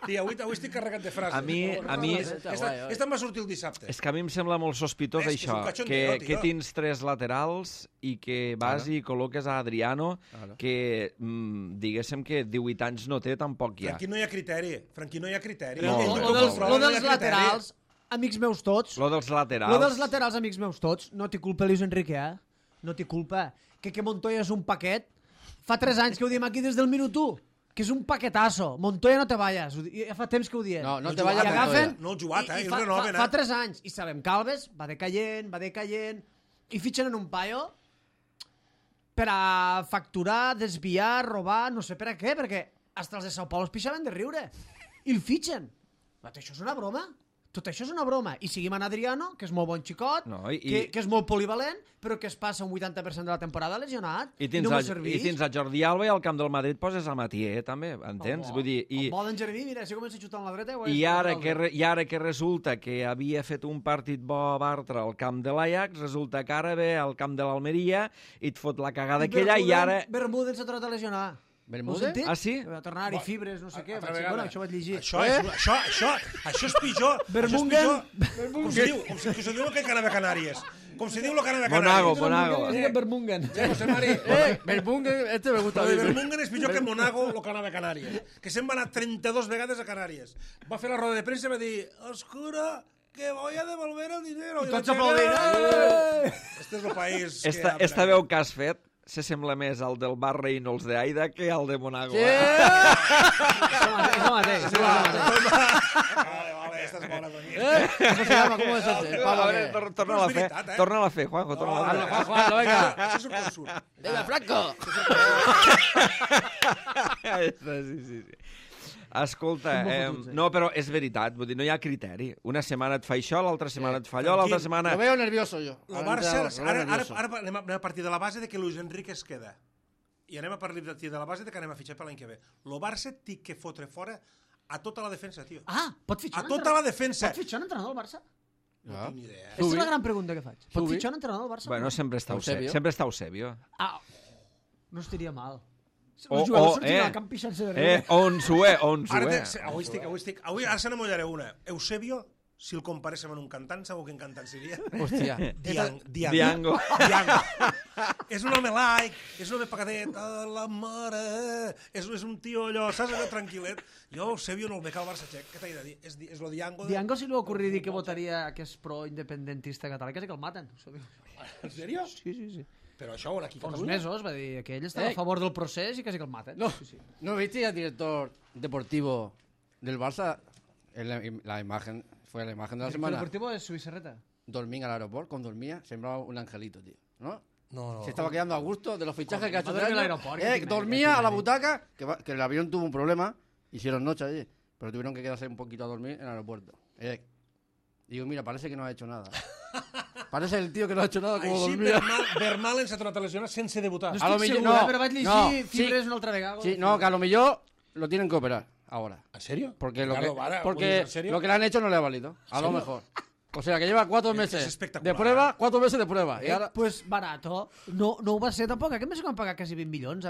Sí, avui estic carregat de frases. A mi- Esta em va sortir el dissabte. És que a mi em sembla molt sospitós És que és això, un cachondeo, que tio. tens 3 laterals i que vas i col·loques a Adriano, que diguéssim que 18 anys no té, tampoc hi ha. Aquí no hi ha criteri. Franqui, no hi ha criteri. No. Ell Lo no Lo controla, no hi ha dels criteri. laterals, amics meus tots, Lo dels laterals... Lo dels laterals, amics meus tots, no t'hi culpa Luis Enrique, No t'hi culpa. Que Montoya és un paquet. Fa 3 anys que ho diem aquí des del minut 1. Que és un paquetazo. Montoya no te vayas. Ja fa temps que ho diem. No el te jugat, vayas eh? Montoya. No el jugat, I el fa, renoven, fa 3 anys. I sabem que Alves va decaient, i fitxen en un paio per a facturar, desviar, robar, no sé per a què, perquè hasta els de Sao Paulo es pixaven de riure. I el fitxen. Tot això és una broma. Tot això és una broma. I seguim en Adriano, que és molt bon xicot, No, que és molt polivalent, però que es passa un 80% de la temporada lesionat. I no tens, m'ho a, serveix. I tens a Jordi Alba i al camp del Madrid poses a Matier, també, entens? Vull dir, El bo d'en Jeremy, mira, si comença a xutar amb la dreta... i ara que resulta que havia fet un partit bo a Bartra al camp de l'Ajax, resulta que ara ve al camp de l'Almeria i et fot la cagada aquella i ara... Bermúdez s'ha tornat a lesionar. ¿Bermúdez? Ho has sentit? Ah, sí? Va tornar-hi fibres, no sé què. altra Vaig dir, vegada. bueno, això vaig llegir. Això és pitjor. Bermungen. Com se diu? Com se diu el que anava a Canàries. Com se diu el que anava a Monago, Canàries. Monago. Es diu Bermungen. José Mari. Bermungen, este me gusta. Lo de Bermungen és pitjor que Monago, el que anava a Canàries. Que se'n va anar 32 vegades a Canàries. Va fer la roda de premsa i va dir oscura, que voy a devolver el dinero. I tots aplaudint. Este és el país que... Esta veu que has fet s'assembla més al del Bar Reynolds de Aida que al de Monago. Això mateix. Vale, esta és bona. ¿Cómo se llama? ¿Cómo es ese? A Pablo, veure, ¿qué? torna-la a fer. veritat, eh? Torna-la a fer, Juanjo, torna-la a fer. Juan, venga. Això és un consum. Venga, Franco. Sí. Escolta, no, però és veritat, vull dir, no hi ha criteri. Una setmana et fa això, l'altra setmana et fa allò, l'altra setmana... Lo veo nervioso yo. El Barça, ara anem a partir de la base de que Luis Enrique es queda. I anem a partir de la base de que anem a fitxar per l'any que ve. El Barça té que fotre fora a tota la defensa, tio. Ah, pot fitxar A tota la defensa. Pot fitxar un entrenador del Barça? No tinc ni idea. Aquesta és la gran pregunta que faig. Pot Zubi. fitxar un entrenador del Barça? Bueno, sempre està Eusebio. Eusebio. Ah, no estaria mal. O- Els jugadors o, sortien al camp pixant-se de riure. On s'ho Ara, avui ara se n'amollaré una. Eusebio si el comparéssim amb un cantant, sabeu quin cantant seria? Hòstia. Diango. És un home laic, és un home pacadet, la mare, és un tio allò, saps allò tranquil·let? Jo ho sé, jo no el veig al Barça Txec, què t'he de dir? És lo Diango... Diango si li va ocurrir dir que votaria que és pro-independentista català, quasi que el maten. En sèrio? Sí. Però això on aquí a Uns Catalunya? mesos va dir que ell estava a favor del procés i quasi que el maten. No, Sí. ¿no viste al director deportivo del Barça? La imagen, fue la imagen de la El semana. deportivo es su Serreta. Dormía al aeropuerto, cuando dormía, sembraba un angelito, tío. ¿No? No. Se estaba quedando a gusto de los fichajes que ha hecho. Va dormir al aeropuerto, que dormía tiene- a la butaca, que el avión tuvo un problema, hicieron noche allí, pero tuvieron que quedarse un poquito a dormir en el aeropuerto. Digo, mira, parece que no ha hecho nada. Parece el tío que no ha hecho nada como Així, dormía. Vermaelen s'ha tornat a lesionar sense debutar. No A lo estic millor- segur, no, però vaig llegir no, fibres sí. una altra vegada. Sí, no, que a lo mejor lo tienen que operar ahora. ¿En serio? Porque lo Ricardo, que, para, porque ¿en serio? lo que le han hecho no le ha valido. A lo serio? mejor. O sea, que lleva 4 Es meses espectacular. de prueba, 4 meses de prueba. Y ahora... Pues barato. No ho va ser tampoc. Aquest mes que van pagar quasi 20 milions,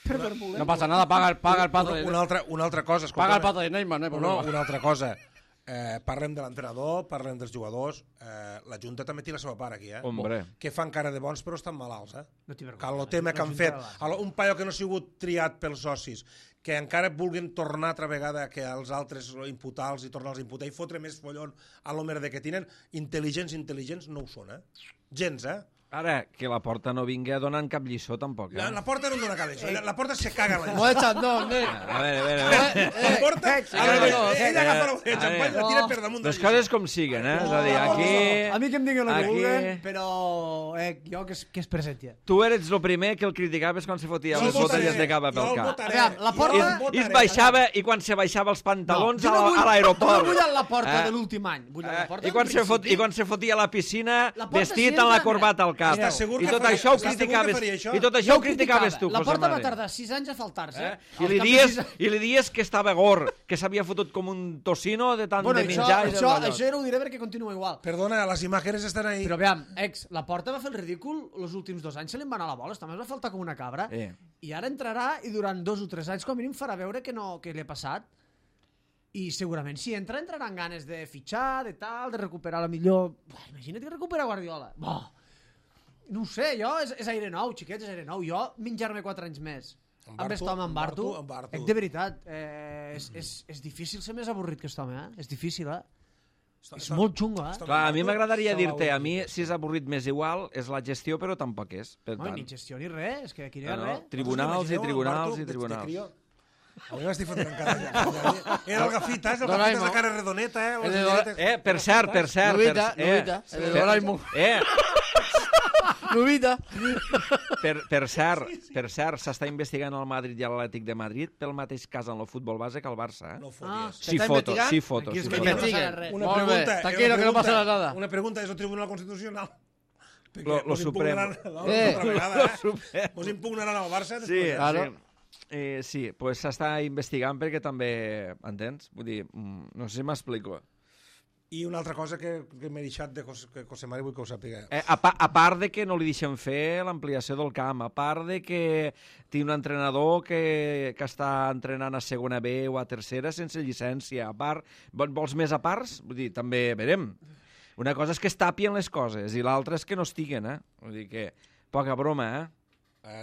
Per voler. No pasa nada, paga el pato de... Una altra cosa, escolta. Paga el pato de Neymar, no hay problema. Una altra cosa. Parlem de l'entrenador, parlem dels jugadors. La Junta també té la seva part aquí, Hombre. Que fan cara de bons però estan malalts, No t'hi vergonya, Que el tema que la han Junta fet, de Barça. un paio que no ha sigut triat pels socis, que encara vulguin tornar altra vegada que els altres imputar-los i tornar-los a imputar i fotre més follon a l'homer de que tenen intel·ligents no ho són, gens, Ara, que la Porta no vingui a donar cap lliçó, tampoc, La Porta no en dona cap d'això, la Porta se caga en la Como de Chandón, A veure. La Porta, ella agafa la botella de xampany i la tira per damunt de Les coses com siguen, És a dir, aquí... A mi que em diguin el que aquí- vulguen, però jo que es presenti. Tu eres el primer que el criticaves quan se fotia Jo el les botelles votaré, de cava pel jo el cap. votaré. Aviam, la Porta- Jo el I votaré. es baixava, i quan se baixava els pantalons jo no vull- a l'aeroport. Jo no vull a la Porta Eh? de l'últim any. Vull a la Porta I quan, del I principi. quan se fotia a la piscina La Porta vestit si amb la entra, corbata al cap. Estàs segur I que tot faria- això ho estàs segur que criticaves. faria això? I tot Jo això ho ho criticaves tu, La José Porta va Mari. tardar 6 anys a faltar-se. I li dies que estava gor, que s'havia fotut com un tocino de tant Bueno, de menjar. i de allò. això era ho diré perquè continua igual. Perdona, les imatges estan ahí. Però aviam, la Porta va fer el ridícul els últims 2 anys, se li en va anar la bola, també es va faltar com una cabra, i ara entrarà i durant 2 o 3 anys com a mínim farà veure que li ha passat, i segurament si entrarà amb ganes de fitxar, de tal, de recuperar la millor... Imagina't que recupera Guardiola. No ho sé, és aire nou, xiquets, és aire nou. Jo menjar-me 4 anys més amb aquest home, en Bartu, de veritat, és difícil ser més avorrit que aquest home, És difícil, És molt xungo, Clar, a mi m'agradaria dir-te, a mi, si és avorrit més igual, és la gestió, però tampoc és. Per No, tant, ni gestió ni res, és que aquí no hi ha res. tribunals i tribunals i tribunals. A mi m'estic fotent encara allà. Era el Gafitas, el Doraemon. Gafitas de cara redoneta, El de Per cert. Novita, el de Doraemon. Novita. Per cert, s'està investigant el Madrid i l'Atlètic de Madrid pel mateix cas en el futbol base que el Barça. No foties. Sí, ¿S'està foto. investigant? Aquí és Sí, que foto. no passarà res. Una Molt bé, pregunta. tranquilo, que no passarà nada. Una pregunta, és el Tribunal Constitucional. Lo Supremo. Mos impugnaran al Barça Sí, després. Claro. sí, pues s'està investigant perquè també, entens? Vull dir, no sé si m'explico. I una altra cosa que m'he deixat de José Mari, vull que ho sàpiga. A part de que no li deixen fer l'ampliació del camp, a part de que té un entrenador que està entrenant a segona B o a tercera sense llicència, a part, vols més a parts? Vull dir, també verem. Una cosa és que es tapien les coses i l'altra és que no estiguen, Vull dir que, poca broma,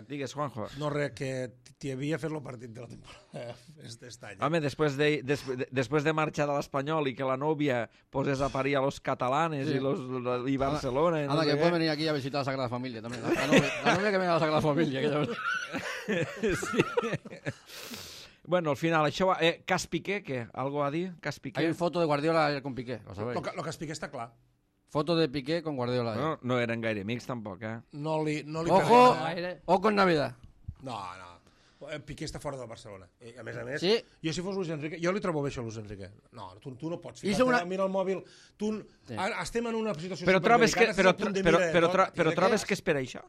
Digues, Juanjo. No, res, que t'hi havia fet el partit de la temporada aquest any. Home, després de marxar de l'Espanyol i que la nòvia posés a parir a los catalanes i Barcelona... Anda, que puede venir aquí a visitar a la Sagrada Familia también. La novia que venga a la Sagrada Familia. Bueno, al final, això va... Cas Piqué, què? Algo a dir? Cas Piqué? Hay foto de Guardiola con Piqué, lo sabéis. Lo que es Piqué està clar. Foto de Piqué con Guardiola. No eren gaire amics, tampoc, No li Ojo, pega. ojo en Navidad. No. Piqué està fora del Barcelona. A més, Sí. jo si fos Luis Enrique, jo li trobo bé això a Luis Enrique. No, tu no pots Hizo una- mira el mòbil. Sí. Estem en una situació Però trobes que, superdelicada, estàs al punt de mira de tot, i trobes que és per això?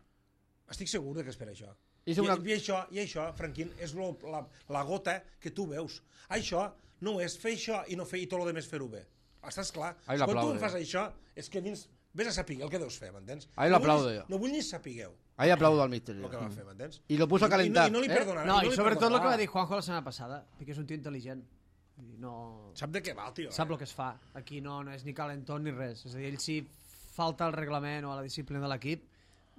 Estic segur que és per això. Hizo una- I això, Franquín, és la gota que tu veus. Això no és fer això i no fer i tot el més fer-ho bé. Estàs clar? Ahí Quan tu l'aplaude. em fas això, és que dins... Vés a saber el que deus fer, m'entens? Ahí l'aplaude jo. No vull ni sapigueu Ahí aplaudo al míster. el que va fer, m'entens? Y lo puso a calentar. I no li perdonarà. No, li i sobretot el que va perdonarà. dir Juanjo la setmana passada, perquè és un tio intel·ligent. No... Sap de què val, tio? Sap el que es fa. Aquí no és ni calentón ni res. És a dir, ell si falta al reglament o a la disciplina de l'equip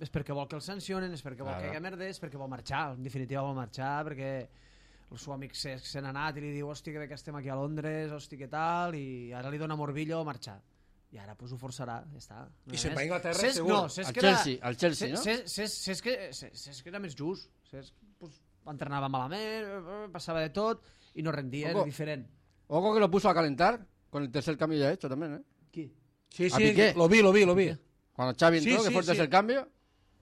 és perquè vol que el sancionen, és perquè vol que hi hagi merda, és perquè vol marxar. En definitiva vol marxar perquè el seu amic se n'ha anat i li diu hosti, que bé que estem aquí a Londres, hosti, que tal, i ara li dona morbillo marxar. I ara pues, ho forçarà, ja està. No I se'n va a Inglaterra, segur. No, al Chelsea, no? És que era més just. Pues, entrenava malament, passava de tot i no rendia, era diferent. Ojo que lo puso a calentar con el tercer cambio ya hecho también, ¿eh? Qui? Sí, lo vi. Cuando Xavi entró, que fue el tercer cambio,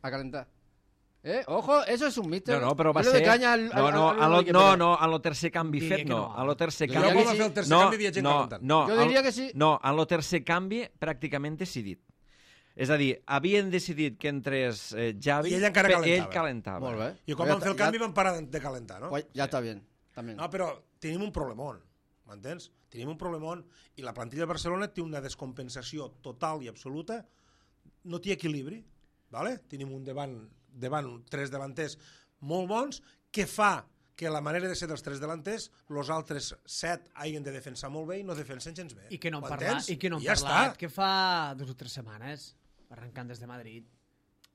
a calentar. Ojo, eso es un míster. No, però va ser... No, en el tercer canvi fet, no. En el tercer canvi... Jo quan va fer el tercer canvi havia gent calentant. Jo diria que sí. No, en el tercer canvi pràcticament decidit. És a dir, havien decidit que entrés Xavi, i ell encara calentava. Ell calentava. Molt bé. I quan van fer el canvi van parar de calentar, no? Ja està bé. També. No, però tenim un problemón, m'entens? Tenim un problemón i la plantilla de Barcelona té una descompensació total i absoluta, no té equilibri, ¿vale? Tenim un davant tres davanters molt bons, que fa que la manera de ser dels tres delanters, els altres 7 hagin de defensar molt bé i no defensen gens bé. I que no han parlat, que fa 2 o 3 setmanes, arrencant des de Madrid,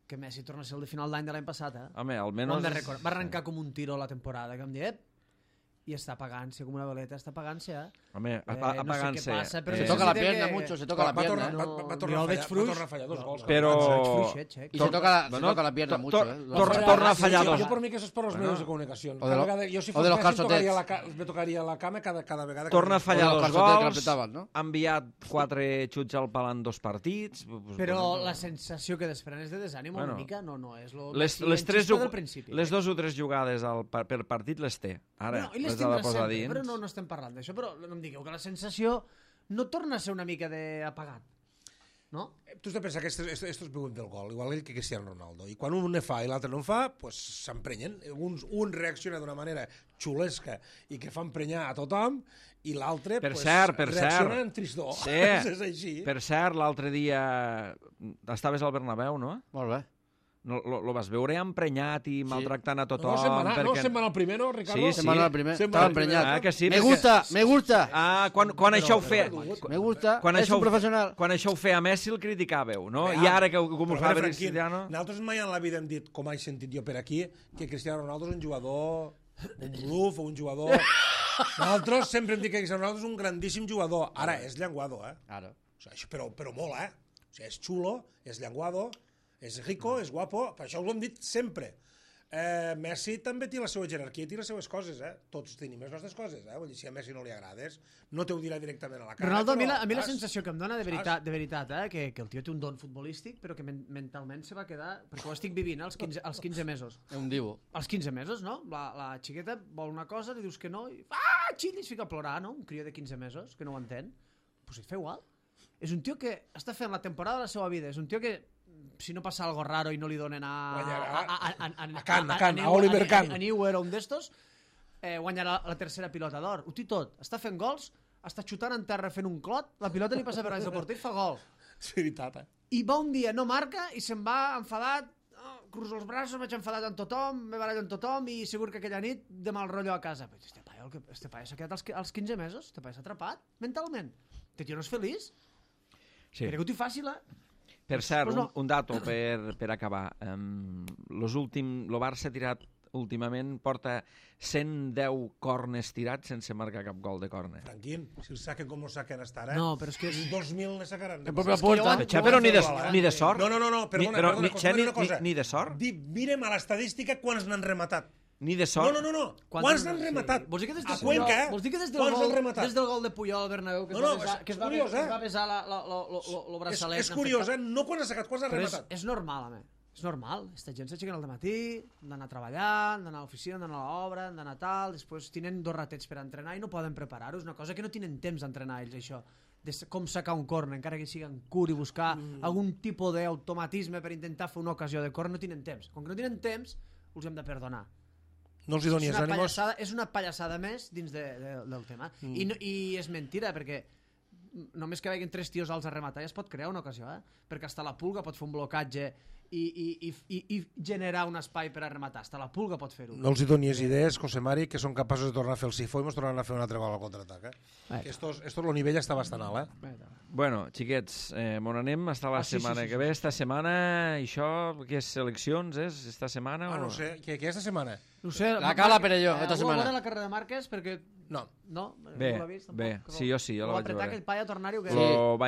que Messi torna a ser el de final d'any de l'any passat, Home, almenys... Va arrencar com un tiro la temporada, que em dic, i està apagant-se com una veleta, està apagant-se, Home, apagant-se. No sé què passa, però se toca la pierna mucho, se toca la pierna. Va tornar a fallar 2 gols. Però... I se toca la pierna mucho, Torna a fallar 2. Jo per mi que això és per als medios de comunicació. Jo si fos Messi me tocaria la cama cada vegada. Torna a fallar 2 gols, ha enviat 4 xuts al pal en 2 partits... Però la sensació que desprèn és de desànim una mica, no és les 2 o 3 jugades per partit les té. Ara, les ha de posar dins. Però no estem parlant d'això, però no em digueu que la sensació no torna a ser una mica d'apagat, no? Tu has de pensar que estos viuen del gol, igual que Cristiano Ronaldo, i quan un ne fa i l'altre no en fa, pues s'emprenyen. Un reacciona d'una manera xulesca i que fa emprenyar a tothom, i l'altre reacciona en tristor. Sí. És així. Per cert, l'altre dia estaves al Bernabéu, no? Molt bé. Lo vas veure emprenyat i maltractant a tothom. No, se'n va anar el primer, no, Ricardo? Sí. Se'n va anar el primer. Estava emprenyat. Que sí, me gusta. Quan això ho feia... Me gusta, és un professional. Quan això ho feia Messi el criticàveu, no? I ara que com ho fa Cristiano... Nosaltres mai en la vida hem dit, com he sentit jo per aquí, que Cristiano Ronaldo és un jugador, un bluff o un jugador... Nosaltres sempre hem dit que Cristiano Ronaldo és un grandíssim jugador. Ara, és llenguado, Ara. Però molt, O sigui, és xulo, és llenguado, és rico, és guapo, per això ho hem dit sempre. Messi també té la seva jerarquia i té les seves coses, Tots tenim les nostres coses, Vull dir, si a Messi no li agrades, no te ho dirà directament a la cara. Ronaldo, a mi la sensació que em dona de veritat, que el tio té un don futbolístic, però que mentalment se va quedar, perquè ho estic vivint als 15 mesos. És un divo. Als 15 mesos, no? La xiqueta vol una cosa, li dius que no, i xil, i es fica a plorar, no? Un crió de 15 mesos, que no ho entén. Pues et fa igual. És un tio que està fent la temporada de la seva vida, és un tio que si no passa algo raro i no li donen a Oliver Kahn, a Neuer o un d'estos, guanyarà la tercera pilota d'or. Ho té tot. Està fent gols, està xutant en terra fent un clot, la pilota li passa per anys del porter i fa gol. És veritat, I va un dia, no marca, i se'n va enfadat, cruzo els braços, vaig enfadat amb tothom, m'he barallat amb tothom i segur que aquella nit de mal rotllo a casa. Però este paio s'ha quedat als 15 mesos, este paio s'ha atrapat mentalment. Este tio no és feliç. Sí. Crec que ho té fàcil, Per cert, un dato per acabar. Lo Barça ha tirat últimament, porta 110 corners tirats sense marcar cap gol de córner. Tranquil, si el saquen com lo saquen hasta ara, no, però és que 2.000 ne sacaran. Però ni de sort. No, perdona, una cosa. Ni de sort? Mirem a l'estadística quants n'han rematat. Ni de sort? No. Quants n'han rematat? Vols dir que a Cuenca, vols dir que des del gol de Puyol al Bernabéu que es va besar el braçalet? És curiós, no quan ha sacat, quants ha rematat? És normal, home. És normal. Esta gent s'aixequen al dematí, han d'anar a treballar, han d'anar a l'oficina, han d'anar a l'obra, han d'anar tal, després tenen 2 ratets per entrenar i no poden preparar-ho. És una cosa que no tenen temps d'entrenar ells, això. De com sacar un córner, encara que sigui en curt i buscar algun tipus d'automatisme per intentar fer una ocasió de córner, no tenen temps. Com que no tenen temps, els hem de perdonar. No els hi donis ànimos. És una pallassada més dins del tema. I és mentira, perquè només que vegin 3 tios alts a rematar ja es pot crear una ocasió, perquè hasta la Pulga pot fer un blocatge i generar un espai per a rematar. Hasta la Pulga pot fer-ho. No els hi donis idees, José Mari, que són capaços de tornar a fer el sifó i ens tornaran a fer un altre gol al contraatac. Que estos el nivell està bastant alt, Bueno, xiquets, on anem? Està la setmana que ve. Esta setmana, això, què és, seleccions, és? Esta setmana? No sé, què és esta setmana? No sé, La Cala Perelló, esta setmana. Algú va veure la carrera de Márquez? Perquè... No. Bé, sí, jo sí, jo la vaig apretar veure. aquell paio a tornar-hi o què?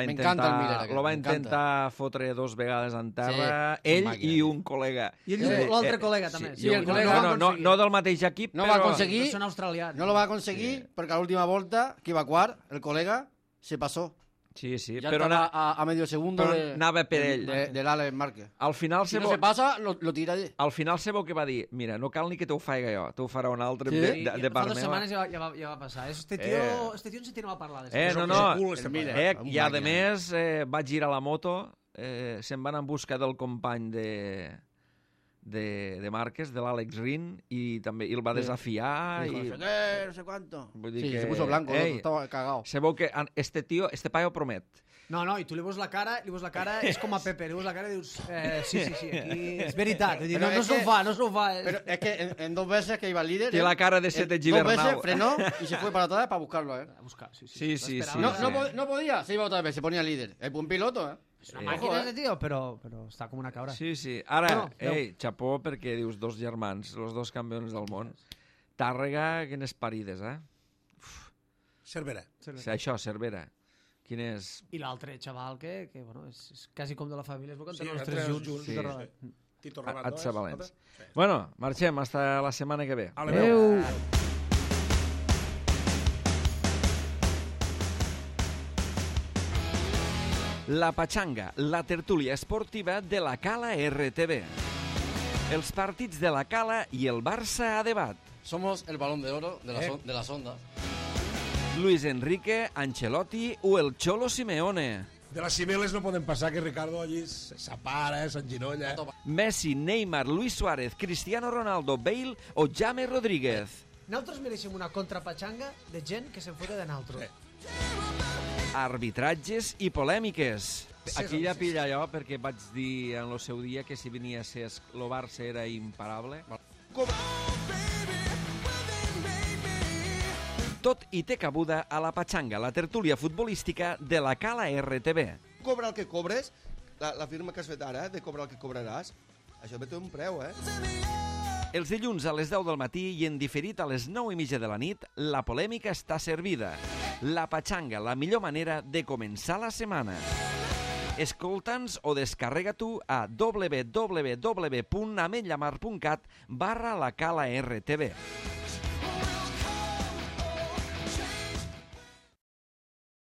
m'encanta el Miller, Lo va intentar fotre 2 vegades en terra, ell i un col·lega. I l'altre col·lega, també. Sí, el col·lega no del mateix equip, no però... va aconseguir, Són australians. no lo va aconseguir perquè a l'última volta, que iba quart, el col·lega se passó. Sí, Ya però estaba a medio segundo però anava per ell. del Alex Márquez. Al final Si no se passa, lo tira allí. Al final Sebo que va dir, mira, no cal ni que t'ho faig jo, t'ho farà un altre Sí. de Fa part 2 meva. setmanes ja va passar. Este tio en sentit no va parlar. I a més va girar la moto, se'n van en busca del company de Márquez, de l'Àlex Rin, i també el va desafiar. No sé cuánto. Vull dir Sí, que, se puso blanco, ei, estaba cagado. se veu que este paio promet. No, i tu li veus la cara, és com a Pepe, li veus la cara i dius, sí, aquí és veritat. Vull dir, Però no és s'ho que- fa, no s'ho fa. Pero es que en 2 veces que iba el líder... Té la cara de Sete 2 Gibernau. veces frenó y se fue para atrás para buscarlo, A buscar, sí. Sí. No podía, se iba otra vez, se ponía líder. Es buen piloto, És una màquina, este tio, però està com una cabra. Sí. Ara, Bueno, xapó, perquè dius 2 germans, els 2 campions del món. Tàrrega, quines parides, Cervera. Això, Cervera. Quin és... I l'altre xaval que bueno, és quasi com de la família, es veu que Sí, tenen els entre 3 els junts. junts, Sí. sí. Tito Rabat, Atsa Valents. Sí. Bueno, marxem, hasta la setmana que ve. Adéu. La Pachanga, la tertúlia esportiva de la Cala RTV. Els partits de la Cala i el Barça a debat. Somos el balón de oro de las ondas. Luis Enrique, Ancelotti o el Cholo Simeone. De les Cibeles no poden passar que Ricardo allí s'apara, s'enginolla. Messi, Neymar, Luis Suárez, Cristiano Ronaldo, Bale o James Rodríguez. Nosaltres mereixem una contrapatxanga de gent que se'n fota de nosaltres. Arbitratges i polèmiques. Aquí ja pilla jo perquè vaig dir en el seu dia que si venia Cesc, el Barça era imparable. Tot hi té cabuda a la Pachanga, la tertúlia futbolística de la Cala RTV. Cobra el que cobres, la firma que has fet ara, de cobrar el que cobraràs, això té un preu, Els dilluns a les 10 del matí i en diferit a les 9:30 de la nit, la polèmica està servida. La Pachanga, la millor manera de començar la setmana. Escolta'ns o descarrega tu a www.ametllamar.cat/la Cala RTV.